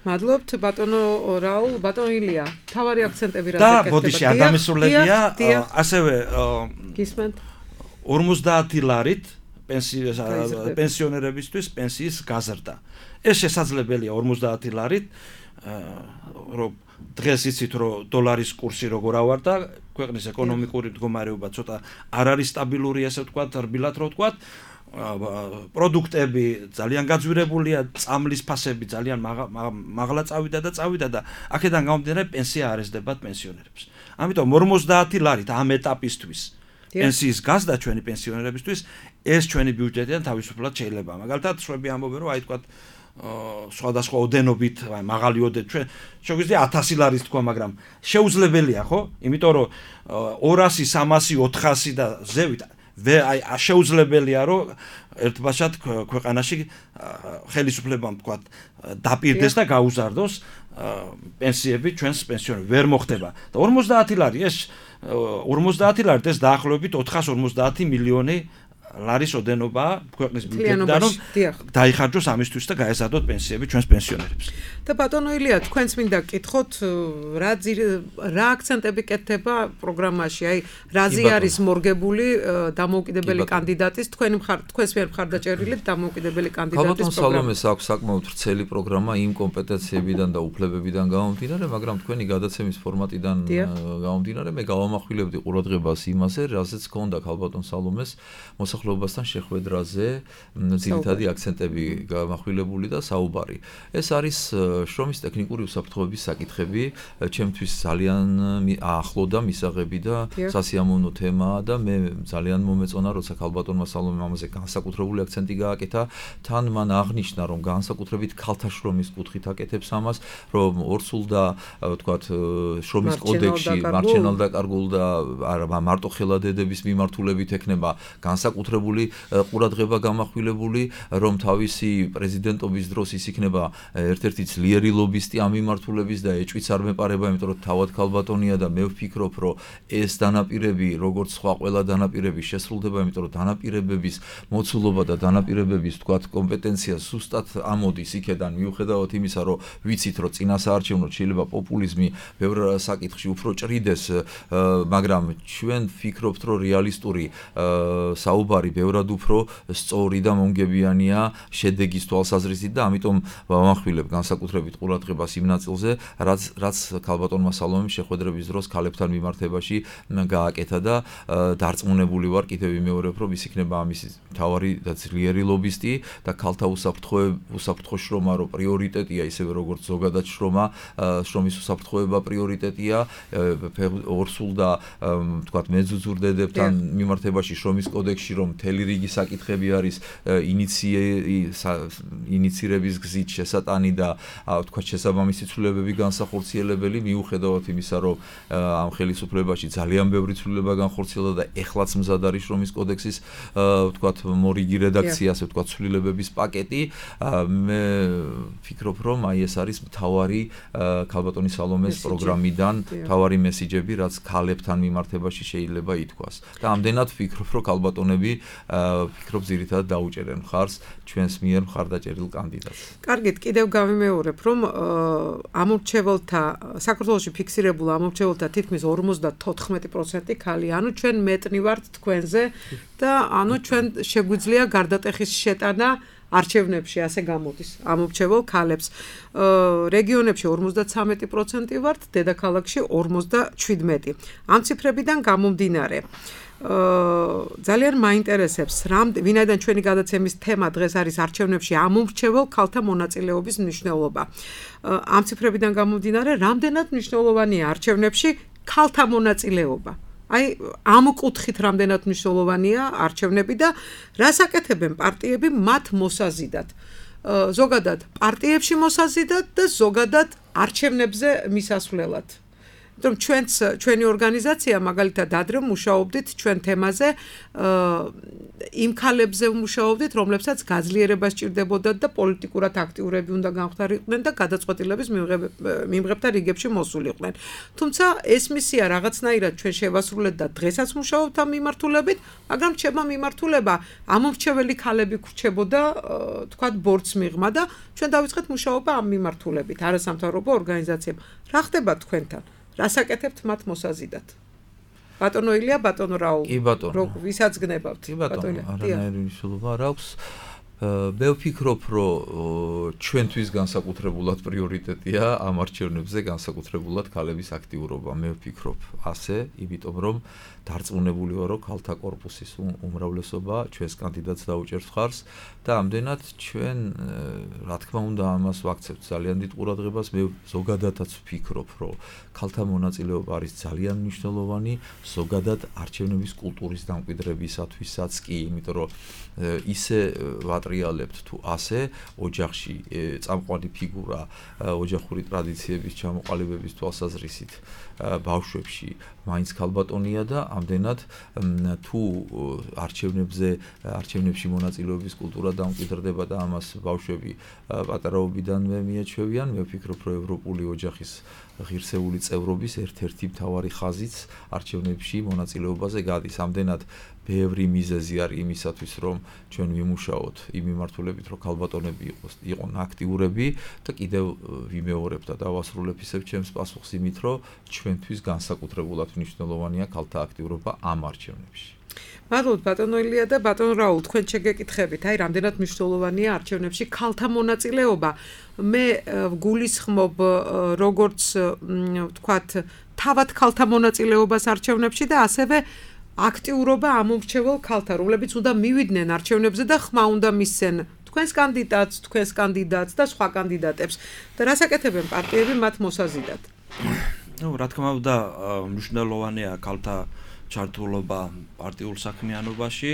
მადლობთ ბატონო რაულ ბატონო ილია თავარი აქცენტები რა და ბოდიში არ დამისრულებია ასევე გისმენთ ორმოცდაათი ლარით პენსიონერებისთვის პენსიის გაზრდა. ეს შესაძლებელია ორმოცდაათი ლარით რომ დღეს იცით რომ დოლარის კურსი როგორ ავარდა ქვეყნის ეკონომიკური მდგომარეობა ცოტა არ არის სტაბილური ასე ვთქვათ რბილად რო ვთქვათ პროდუქტები ძალიან გაძვირებულია წამლის ფასები ძალიან მაღლა წავიდა და წავიდა და აქედან გამომდინარე პენსია არ ესდებათ პენსიონერებს ამიტომ ორმოცდაათი ლარით ამ ეტაპისთვის პენსიის გაზრდა ჩვენი პენსიონერებისთვის ეს ჩვენი ბიუჯეტიდან თავისუფლად შეიძლება მაგალითად შვები ამბობენ რომ აი თქვათ სხვადასხვა ოდენობით, აი მაღალი ოდენ ჩვენ შეგვიძლია ათასი ლარის თქვა, მაგრამ შეუძლებელია, ხო? იმიტომ რომ ორასი, სამასი, ოთხასი და ზევით აი შეუძლებელია რომ ერთბაშად ქვეყანაში ხელისუფლებამ თქვა დაპირდეს და გაუზარდოს პენსიები ჩვენს პენსიონერებს ვერ მოხდება. და ორმოცდაათი ლარი ეს ორმოცდაათი ლარი ეს დაახლოებით ოთხას ორმოცდაათი მილიონი ლარის ოდენობა ქვეყნის ბიუჯეტიდან რომ დაიხარჯოს ამისთვის და გაეზადოთ პენსიები ჩვენს პენსიონერებს. და ბატონო ილია, თქვენს მინდა გკითხოთ რა რა აქცენტები კეთდება პროგრამაში, აი რაზე არის მორგებული დამოუკიდებელი კანდიდატის თქვენ თქვენს მიერ მხარდაჭერილი დამოუკიდებელი კანდიდატის პროგრამა. სალომეს აქვს საკმაოდ ვრცელი პროგრამა იმ კომპეტენციებიდან და უფლებებიდან გამომდინარე, მაგრამ თქვენი გადაცემის ფორმატიდან გამომდინარე მე გავამახვილებდი ყურადღებას იმაზე, რაზეც ჰქონდა ქალბატონ სალომეს მოსახლეობასთან შეხვედრაზე ძირითადი აქცენტები გამახვილებული და საუბარი. ეს არის შრომის ტექნიკური უსაფრთხოების საკითხები, ჩემთვის ძალიან ახლო და მისაღები და სასიამოვნო თემაა და მე ძალიან მომეწონა, როცა ქალბატონმა სალომემ ამაზე განსაკუთრებული აქცენტი გააკეთა, თან მან აღნიშნა, რომ განსაკუთრებით ქალთა შრომის კუთხით აკეთებს ამას, რომ ორსულ და ვთქვათ შრომის კოდექსში მარჩენალ დაკარგულ და არა მარტო ხელადედების მიმართულებით ექნება განსაკუთრებული ყურადღება გამახვილებული, რომ თავისი პრეზიდენტობის დროს ის იქნება ერთ-ერთი ძლიერი ლობისტი ამ მიმართულების და ეჭვიც არ მეპარება, იმიტომ რომ თავად ქალბატონია და მე ვფიქრობ, რომ ეს დანაპირები, როგორც სხვა ყველა დანაპირები შესრულდება, იმიტომ რომ დანაპირებების მოცულობა და დანაპირებების თქვათ კომპეტენცია ზუსტად ამოდის იქედან, მიუხედავად იმისა, რომ ვიცით, რომ წინასაარჩევნოდ შეიძლება პოპულიზმი ბევრ საკითხში უფრო ჭრიდეს, მაგრამ ჩვენ ვფიქრობთ, რომ რეალისტური საუბარი საუბარი ბევრად უფრო სწორი და მომგებიანია შედეგის თვალსაზრისით და ამიტომ ვამახვილებ განსაკუთრებით ყურადღებას იმ ნაწილზე, რაც რაც ქალბატონმა სალომემ შეხვედრების დროს ქალებთან მიმართებაში გააკეთა და დარწმუნებული ვარ კიდევ ვიმეორებ, რომ ის იქნება ამის მთავარი და ძლიერი ლობისტი და ქალთა უსაფრთხო შრომა რო პრიორიტეტია, ისევე როგორც ზოგადად შრომა, შრომის უსაფრთხოება პრიორიტეტია, ორსულ და თქვათ მეძუძურ დედებთან მიმართებაში შრომის კოდექსში რომ მთელი რიგი საკითხები არის ინიცირების გზით შესატანი და თქვათ შესაბამისი ცვლილებები განსახორციელებელი, მიუხედავად იმისა, რომ ამ ხელისუფლებაში ძალიან ბევრი ცვლილება განხორციელდა და ეხლაც მზად არის შრომის კოდექსის თქვათ მორიგი რედაქცია, ასე ვთქვათ, ცვლილებების პაკეტი, მე ვფიქრობ, რომ აი ეს არის მთავარი ქალბატონი სალომეს პროგრამიდან მთავარი მესიჯები, რაც ქალებთან მიმართებაში შეიძლება ითქვას. და ამდენად ვფიქრობ, რომ ქალბატონები ვფიქრობ ძირითადად დაუჭერენ მხარს ჩვენს მიერ მხარდაჭერილ კანდიდატს. კარგით, კიდევ გავიმეორებ, რომ ამორჩეველთა საქართველოში ფიქსირებულ ამორჩეველთა თითქმის ორმოცდათოთხმეტი პროცენტი ქალი, ანუ ჩვენ მეტნი ვართ თქვენზე და ანუ ჩვენ შეგვიძლია გარდატეხის შეტანა არჩევნებში, ასე გამოდის, ამორჩეულ ქალებს. რეგიონებში ორმოცდათვრამეტი პროცენტი ვართ, დედაქალაქში ორმოცდაშვიდმეტი. ამ ციფრებიდან გამომდინარე, ძალიან მაინტერესებს, ვინაიდან ჩვენი გადაცემის თემა დღეს არის არჩევნებში ამორჩეულ ქალთა მონაწილეობის მნიშვნელობა. ამ ციფრებიდან გამომდინარე, რამდენად მნიშვნელოვანია არჩევნებში ქალთა მონაწილეობა. აი, ამ კუთხით რამდენად მნიშვნელოვანია არჩევნები და რას აკეთებენ პარტიები მათ მოსაზიდად. ზოგადად პარტიებში მოსაზიდად და ზოგადად არჩევნებზე მისასვლელად. რომ ჩვენც ჩვენი ორგანიზაცია მაგალითად ადრე მუშაობდით ჩვენ თემაზე იმ ქალებზე მუშაობდით, რომლებსაც გაძლიერება სჭირდებოდათ და პოლიტიკურად აქტიურები უნდა განხდარიყვნენ და გადაწყვეტილების მიმღებთა რიგებში მოსულიყვნენ. თუმცა ეს მისია რაღაცნაირად ჩვენ შევასრულეთ და დღესაც მუშაობთ ამ მიმართულებით, მაგრამ რჩება მიმართულება ამორჩეველი ქალები გრჩებოდა, თქვათ, ბორცს მიღმა და ჩვენ დავიწყეთ მუშაობა ამ მიმართულებით არასამთავრობო ორგანიზაციებთან. რა ხდება თქვენთან? რას აკეთებთ მათ მოსაზიდად? ბატონო ილია, ბატონო რაულ. კი ბატონო. რო ვისაც გნებავთ? კი ბატონო, არანაირი მნიშვნელობა არ აქვს. მე ვფიქრობ, რომ ჩვენთვის განსაკუთრებულად პრიორიტეტია ამ არჩევნებზე განსაკუთრებულად ქალების აქტიურობა. მე ვფიქრობ ასე, იმიტომ რომ დარწმუნებული ვარ, რომ ქალთა კორპუსის უმრავლესობა ჩვენს კანდიდატს დაუჭერს მხარს და ამდენად ჩვენ, რა თქმა უნდა, ამას ვაქცევთ ძალიან დიდ ყურადღებას. მე ზოგადადაც ვფიქრობ, რომ ქალთა მონაწილეობა არის ძალიან მნიშვნელოვანი ზოგადად არჩევნების კულტურის დამკვიდრებისათვისაც კი, იმიტომ რომ ისე ვატრიალებთ თუ ასე ოჯახში წამყვანი ფიგურა ოჯახური ტრადიციების ჩამოყალიბების თვალსაზრისით ბავშვებში მაინც ქალბატონია და ამდენად თუ არჩევნებზე არჩევნებში მონაწილეობის კულტურა დამკვიდრდება და ამას ბავშვები პატარაობიდანვე მიაჩვევიან, მე ვფიქრობ, რომ ევროპული ოჯახის ღირსეული წევრობის ერთ-ერთი მთავარი ხაზიც არჩევნებში მონაწილეობაზე გადის. ამდენად ბევრი მიზეზი არის იმისათვის, რომ ჩვენ ვიმუშაოთ იმ მიმართულებით, რომ ქალბატონები იყოს იყვნენ აქტიურები და კიდევ ვიმეორებ და დავასრულებ ისევ ჩემს პასუხს იმით, რომ ჩვენთვის განსაკუთრებულად მნიშვნელოვანია ქალთა აქტიურობა ამ არჩევნებში. მადლობთ ბატონო ილია და ბატონო რაულ, თქვენ შეგეკითხებით, აი რამდენად მნიშვნელოვანია არჩევნებში ქალთა მონაწილეობა. მე ვგულისხმობ როგორც ვთქვათ, თავად ქალთა მონაწილეობას არჩევნებში და ასევე აქტიურობა ამორჩეულ ქალთა, რომლებიც უნდა მივიდნენ არჩევნებზე და ხმა უნდა მისცენ თქვენს კანდიდატს, თქვენს კანდიდატს და სხვა კანდიდატებს. და რას აკეთებენ პარტიები მათ მოსაზიდად? ნუ, რა თქმა უნდა, მნიშვნელოვანია ქალთა ჩართულობა პარტიულ საქმიანობაში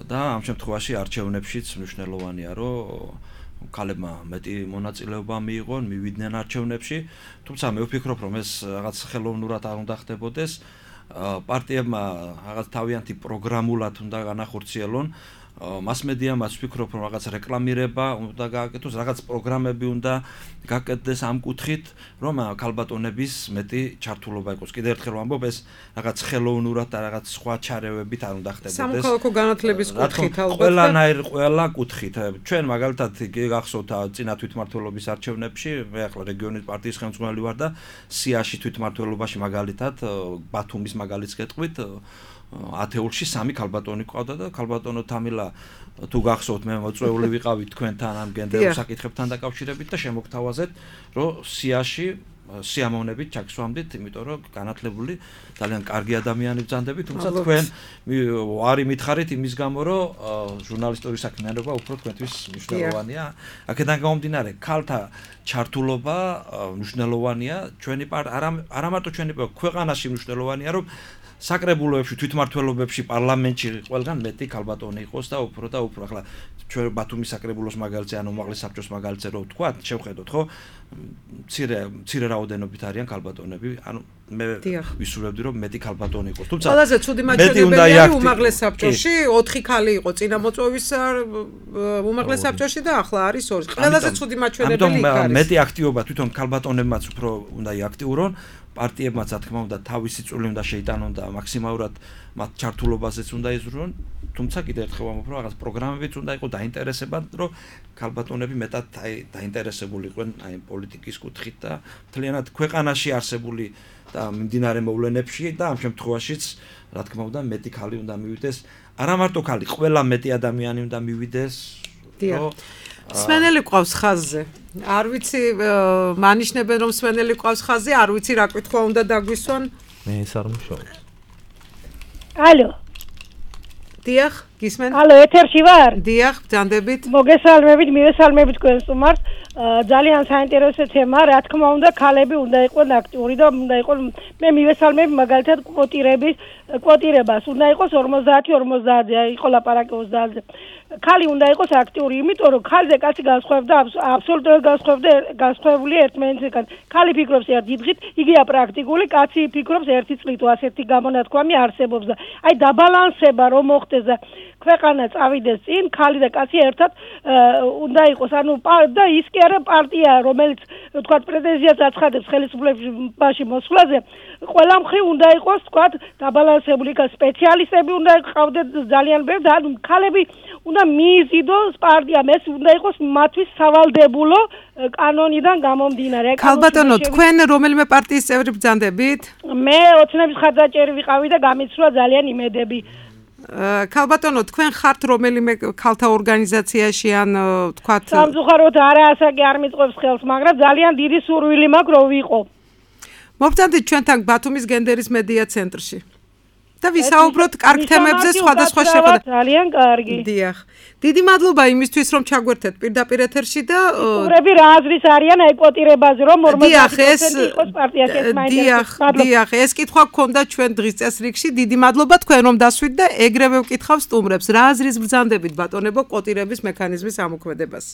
და ამ შემთხვევაში არჩევნებშიც მნიშვნელოვანია, რომ ქალებმა მეტი მონაწილეობა მიიღონ, მივიდნენ არჩევნებში, თუმცა მე ვფიქრობ, რომ ეს რაღაც ხელოვნურად არ უნდა ხდებოდეს. პარტიებმა რაღაც თავიანთი პროგრამულად უნდა განახორციელონ, მასმედიამაც ვფიქრობ, რომ რაღაც რეკლამირება უნდა გააკეთოს, რაღაც პროგრამები უნდა გააკეთდეს ამ კუთხით, რომ ქალბატონების მეტი ჩართულობა იყოს. კიდევ ერთხელ ვამბობ, ეს რაღაც ხელოვნურად და რაღაც სხვა ჩარევებით არ უნდა ხდებოდეს. სამოქალაქო განათლების კუთხით ალბათ. ყველანაირ ყველა კუთხით. ჩვენ მაგალითად გახსოვთ წინა თვითმმართველობის არჩევნებში, მე ახლა რეგიონის პარტიის ხელმძღვანელი ვარ და სიაში თვითმმართველობაში მაგალითად ბათუმის მაგალითს გეტყვით, ათეულში სამი ქალბატონი ყავდა და ქალბატონო თამილა თუ გახსოვთ მე მოწვეული ვიყავი თქვენთან ამ გენდერულ საკითხებთან დაკავშირებით და შემოგთავაზეთ რომ სიაში სიამოვნებით ჩაგსვამდით, იმიტომ რომ განათლებული ძალიან კარგი ადამიანი ბრძანდებით, თუმცა თქვენ ვარი მითხარით იმის გამო, რომ ჟურნალისტური საქმიანობა უფრო თქვენთვის მნიშვნელოვანია. აქედან გამომდინარე, ქალთა ჩართულობა მნიშვნელოვანია, ჩვენი არა მარტო ჩვენი ქვეყანაში მნიშვნელოვანია, რომ საკრებულოებში, თვითმმართველობებში, პარლამენტში ყველგან მეტი ქალბატონი იყოს და უფრო და უფრო. ახლა ჩვენ ბათუმის საკრებულოს მაგალითზე, ანუ უმაღლეს საბჭოს მაგალითზე რო ვთქვა, შევხედოთ, ხო? მცირე მცირე რაოდენობით არიან ქალბატონები, ანუ მე ვისურვებდი რომ მეტი ქალბატონი იყოს. თუმცა ყველაზე ცუდი მაჩვენებელია უმაღლეს საბჭოში ოთხი ქალი იყო წინამოწვევის უმაღლეს საბჭოში და ახლა არის ორი. ყველაზე ცუდი მაჩვენებელი იქ არის. მეტი აქტივობა თვითონ ქალბატონებმაც უფრო უნდა იაქტიურონ. პარტიებმაც რა თქმა უნდა თავისი წვლილი უნდა შეიტანონ და მაქსიმალურად მათ ჩართულობაზეც უნდა იზრუნონ. თუმცა კიდევ ერთხელ ვამბობ, რომ რაღაც პროგრამებიც უნდა იყოს დაინტერესება, რომ ქალბატონები მეტად დაინტერესებული იყვნენ აი პოლიტიკის კუთხით და მთლიანად ქვეყანაში არსებული და მიმდინარე მოვლენებში და ამ შემთხვევაშიც რა თქმა უნდა მეტი ქალი უნდა მივიდეს. არა მარტო ქალი, ყველა მეტი ადამიანი უნდა მივიდეს. რომ სვენელი ყავს ხაზზე. არ ვიცი, მანიშნებენ რომ სვენელი ყავს ხაზზე, არ ვიცი რა კითხვა უნდა დაგვისვან. მე ეს არ მუშაობ. ალო. დიახ, გისმენ? ალო, ეთერში ვარ? დიახ, ბრძანდებით. მოგესალმებით, მივესალმებით თქვენ სტუმარს. ძალიან საინტერესო თემა, რა თქმა უნდა, ქალები უნდა იყვნენ აქტიური და უნდა იყოს მე მივესალმებ მაგალითად კვოტირების კვოტირებას უნდა იყოს ორმოცდაათი ორმოცდაათზე, იყო ლაპარაკი ოცდაათზე. ქალი უნდა იყოს აქტიური, იმიტომ რომ ქალზე კაცი განსხვავდა აბსოლუტურად განსხვავდა განსხვავებული ერთმანეთისგან. ქალი ფიქრობს ერთი დღით, იგია პრაქტიკული, კაცი ფიქრობს ერთი წლით, ასეთი გამონათქვამი არსებობს და აი დაბალანსება რომ მოხდეს და ქვეყანა წავიდეს წინ, ქალი და კაცი ერთად უნდა იყოს, ანუ და ის კი არა პარტია, რომელიც თქვა პრეტენზიას აცხადებს ხელისუფლებაში მოსვლაზე, ყველა მხრივ უნდა იყოს, თქვა დაბალანსებული, სპეციალისტები უნდა ყავდეს ძალიან ბევრი და ანუ ქალები უნდა მიიზიდოს პარტიამ, ეს უნდა იყოს მათთვის სავალდებულო კანონიდან გამომდინარე. ქალბატონო, თქვენ რომელიმე პარტიის წევრი ბრძანდებით? მე ოცნების ხარდაჭერი ვიყავი და გამიცვლა ძალიან იმედები. ქალბატონო, თქვენ ხართ რომელიმე ქალთა ორგანიზაციაში ან თქვათ სამწუხაროდ არა, ასაკი არ მიწყობს ხელს, მაგრამ ძალიან დიდი სურვილი მაქვს რომ ვიყო. მობრძანდით ჩვენთან ბათუმის გენდერის მედია ცენტრში. და ვისაუბროთ კარგ თემებზე სხვადასხვა შეხვედრა. ძალიან კარგი. დიახ. დიდი მადლობა იმისთვის რომ ჩაგვერთეთ პირდაპირ ეთერში და სტუმრები რა აზრის არიან აი კვოტირებაზე რომ ორმოცდაათი პროცენტი იყოს პარტიაში ეს მაინტერესებს. დიახ, ეს კითხვა გქონდა ჩვენ დღის წესრიგში. დიდი მადლობა თქვენ რომ დასვით და ეგრევე ვკითხავ სტუმრებს რა აზრის ბრძანდებით ბატონებო კვოტირების მექანიზმის ამოქმედებას.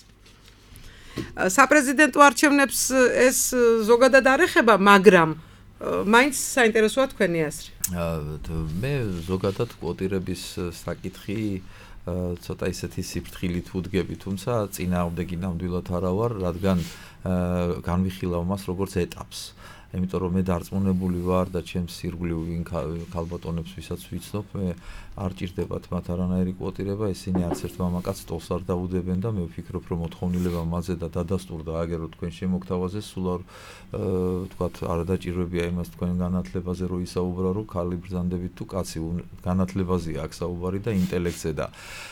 საპრეზიდენტო არჩევნებს ეს ზოგადად არ ეხება, მაგრამ მაინც საინტერესოა თქვენი აზრი. მე ზოგადად კვოტირების საკითხი ცოტა ისეთი სიფრთხილით ვუდგები, თუმცა წინააღმდეგი ნამდვილად არა ვარ, რადგან განვიხილავ მას როგორც ეტაპს. იმიტომ რომ მე დარწმუნებული ვარ და ჩემს ირგვლივ ვინ ქალბატონებს ვისაც ვიცნობ, მე არ ჭირდებათ მათ არანაირი კვოტირება, ისინი არც ერთ მამაკაცს ტოლს არ დაუდებენ და მე ვფიქრობ, რომ მოთხოვნილება მასზე და დადასტურდა აგერო თქვენ შემოგთავაზეს, სულ არ ვთქვათ, არ დაჭირვებია იმას თქვენ განათლებაზე რო ისაუბრა, რომ ქალი ბრძანდებით თუ კაცი განათლებაზეა აქ საუბარი და ინტელექტზე და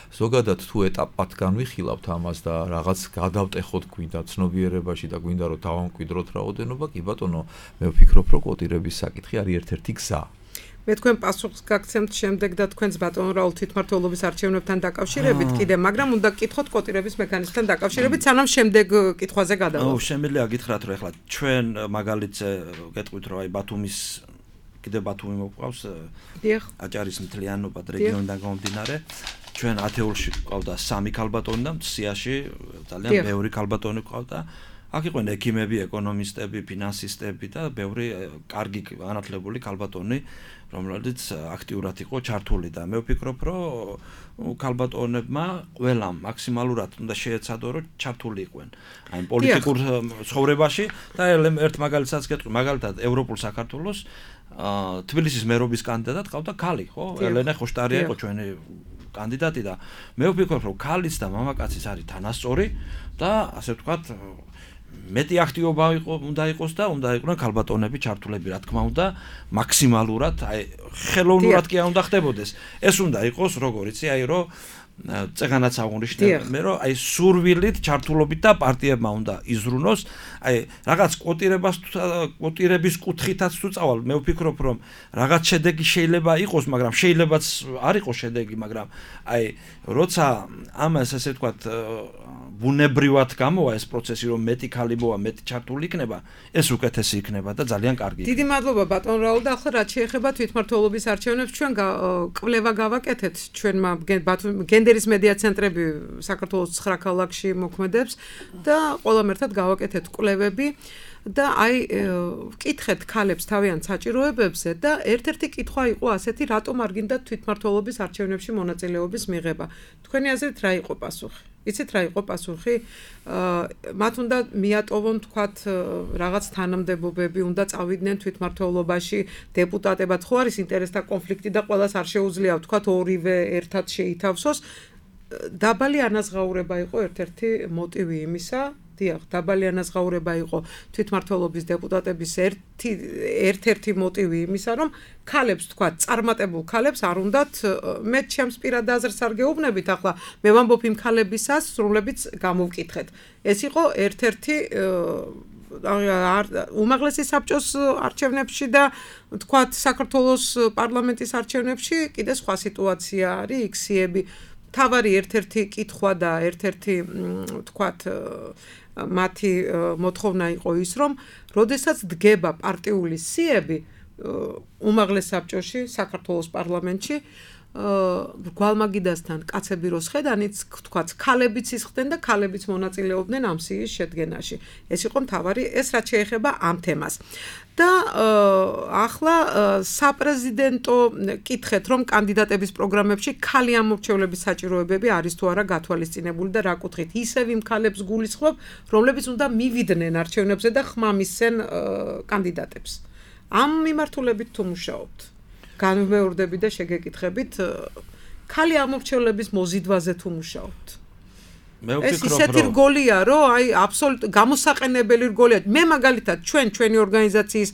ზოგადად თუ ეტაპად განვიხილავთ ამას და რაღაც გადავტეხოთ გვინდა ცნობიერებაში და გვინდა რომ დავამკვიდროთ რაოდენობა, კი ბატონო, მე ვფიქრობ, რომ კვოტირების საკითხი არის ერთ-ერთი გზა. მე თქვენ პასუხს გაგცემთ შემდეგ და თქვენს ბატონო რაულ თვითმმართველობის არჩევნებთან დაკავშირებით კიდე, მაგრამ უნდა გკითხოთ კვოტირების მექანიზმთან დაკავშირებით, სანამ შემდეგ კითხვაზე გადავალთ. ო, შემიძლია გითხრათ, რომ ეხლა ჩვენ მაგალითზე გეტყვით, რომ აი ბათუმის კიდე ბათუმი მოყავს. დიახ. აჭარის მთლიანობა რეგიონიდან გამომდინარე. ჩვენ ათეულში ყავდა სამი ქალბატონი და სიაში ძალიან ბევრი ქალბატონი ყავდა. აქ იყვნენ ექიმები, ეკონომისტები, ფინანსისტები და ბევრი კარგი განათლებული ქალბატონი, რომლებიც აქტიურად იყო ჩართული და მე ვფიქრობ, რომ ქალბატონებმა ყველამ მაქსიმალურად უნდა შეეცადონ, რომ ჩართული იყვნენ აი პოლიტიკურ ცხოვრებაში და ერთ მაგალითსაც გეტყვი, მაგალითად ევროპულ საქართველოს თბილისის მერობის კანდიდატად ყავდა ქალი, ხო? ელენე ხოშტარია იყო ჩვენი კანდიდატი და მე ვფიქრობ, რომ ქალის და მამაკაცის არის თანასწორი და ასე ვთქვათ, მეტი აქტიობა იყო, უნდა იყოს და უნდა იყვნენ ქალბატონები ჩართულები, რა თქმა უნდა, მაქსიმალურად, აი ხელოვნურად კი არ უნდა ხდებოდეს. ეს უნდა იყოს, როგორ იცი, აი რომ წეგანაც აღნიშნე მე რომ აი სურვილით ჩართულობით და პარტიებმა უნდა იზრუნოს აი რაღაც კვოტირებას კვოტირების კუთხითაც თუ წავალ მე ვფიქრობ რომ რაღაც შედეგი შეიძლება იყოს მაგრამ შეიძლებაც არ იყოს შედეგი მაგრამ აი როცა ამას ასე ვთქვათ ბუნებრივად გამოვა ეს პროცესი რომ მეტი ქალი მოვა მეტი ჩართული იქნება ეს უკეთესი იქნება და ძალიან კარგი დიდი მადლობა ბატონ რაულ და ახლა რაც შეეხება თვითმმართველობის არჩევნებს ჩვენ კვლევა გავაკეთეთ ჩვენმა გენდერის მედია ცენტრები საქართველოს ცხრა ქალაქში მოქმედებს და ყველამ ერთად გავაკეთეთ კვლევები და აი ვკითხეთ ქალებს თავიანთ საჭიროებებზე და ერთ-ერთი კითხვა იყო ასეთი რატომ არ გინდათ თვითმმართველობის არჩევნებში მონაწილეობის მიღება თქვენი აზრით რა იყო პასუხი იცით რა იყო პასუხი მათ უნდა მიატოვონ თქვათ რაღაც თანამდებობები უნდა წავიდნენ თვითმმართველობაში დეპუტატებად ხო არის ინტერესთა კონფლიქტი და ყველას არ შეუძლია თქვათ ორივე ერთად შეითავსოს დაბალი ანაზღაურება იყო ერთ-ერთი მოტივი იმისა დიახ დაბალი ანაზღაურება იყო თვითმმართველობის დეპუტატების ერთი ერთ-ერთი მოტივი იმისა რომ ქალებს თქვა წარმატებულ ქალებს არ უნდათ მე ჩემს პირად აზრს არ გეუბნებით ახლა მე ვამბობ იმ ქალებისას რომლებიც გამოვკითხეთ ეს იყო ერთ-ერთი უმაღლესი საბჭოს არჩევნებში და თქვათ საქართველოს პარლამენტის არჩევნებში კიდე სხვა სიტუაცია არის იქსიები თავარი ერთ-ერთი კითხვა და ერთ-ერთი თქვათ მათი მოთხოვნა იყო ის რომ როდესაც დგება პარტიული სიები უმაღლეს საბჭოში საქართველოს პარლამენტში გვალმაგიდასთან კაცები როს ხედანიც თქვაც ქალებიც ისხდნენ და ქალებიც მონაწილეობდნენ ამ სიის შედგენაში ეს იყო მთავარი ეს რაც შეეხება ამ თემას და ახლა საპრეზიდენტო კითხეთ რომ კანდიდატების პროგრამებში ქალი ამორჩევლების საჭიროებები არის თუ არა გათვალისწინებული და რა კუთხით ისევ იმ ქალებს გულისხმობ რომლებიც უნდა მივიდნენ არჩევნებზე და ხმამისცენ კანდიდატებს ამ მიმართულებით თუ მუშაობთ განმეორდები და შეგეკითხებით ქალი ამორჩევლების მოზიდვაზე თუ მუშაობთ მე ვფიქრობ ეს ისეთი რგოლია რომ აი აბსოლუტ გამოსაყენებელი რგოლია მე მაგალითად ჩვენ ჩვენი ორგანიზაციის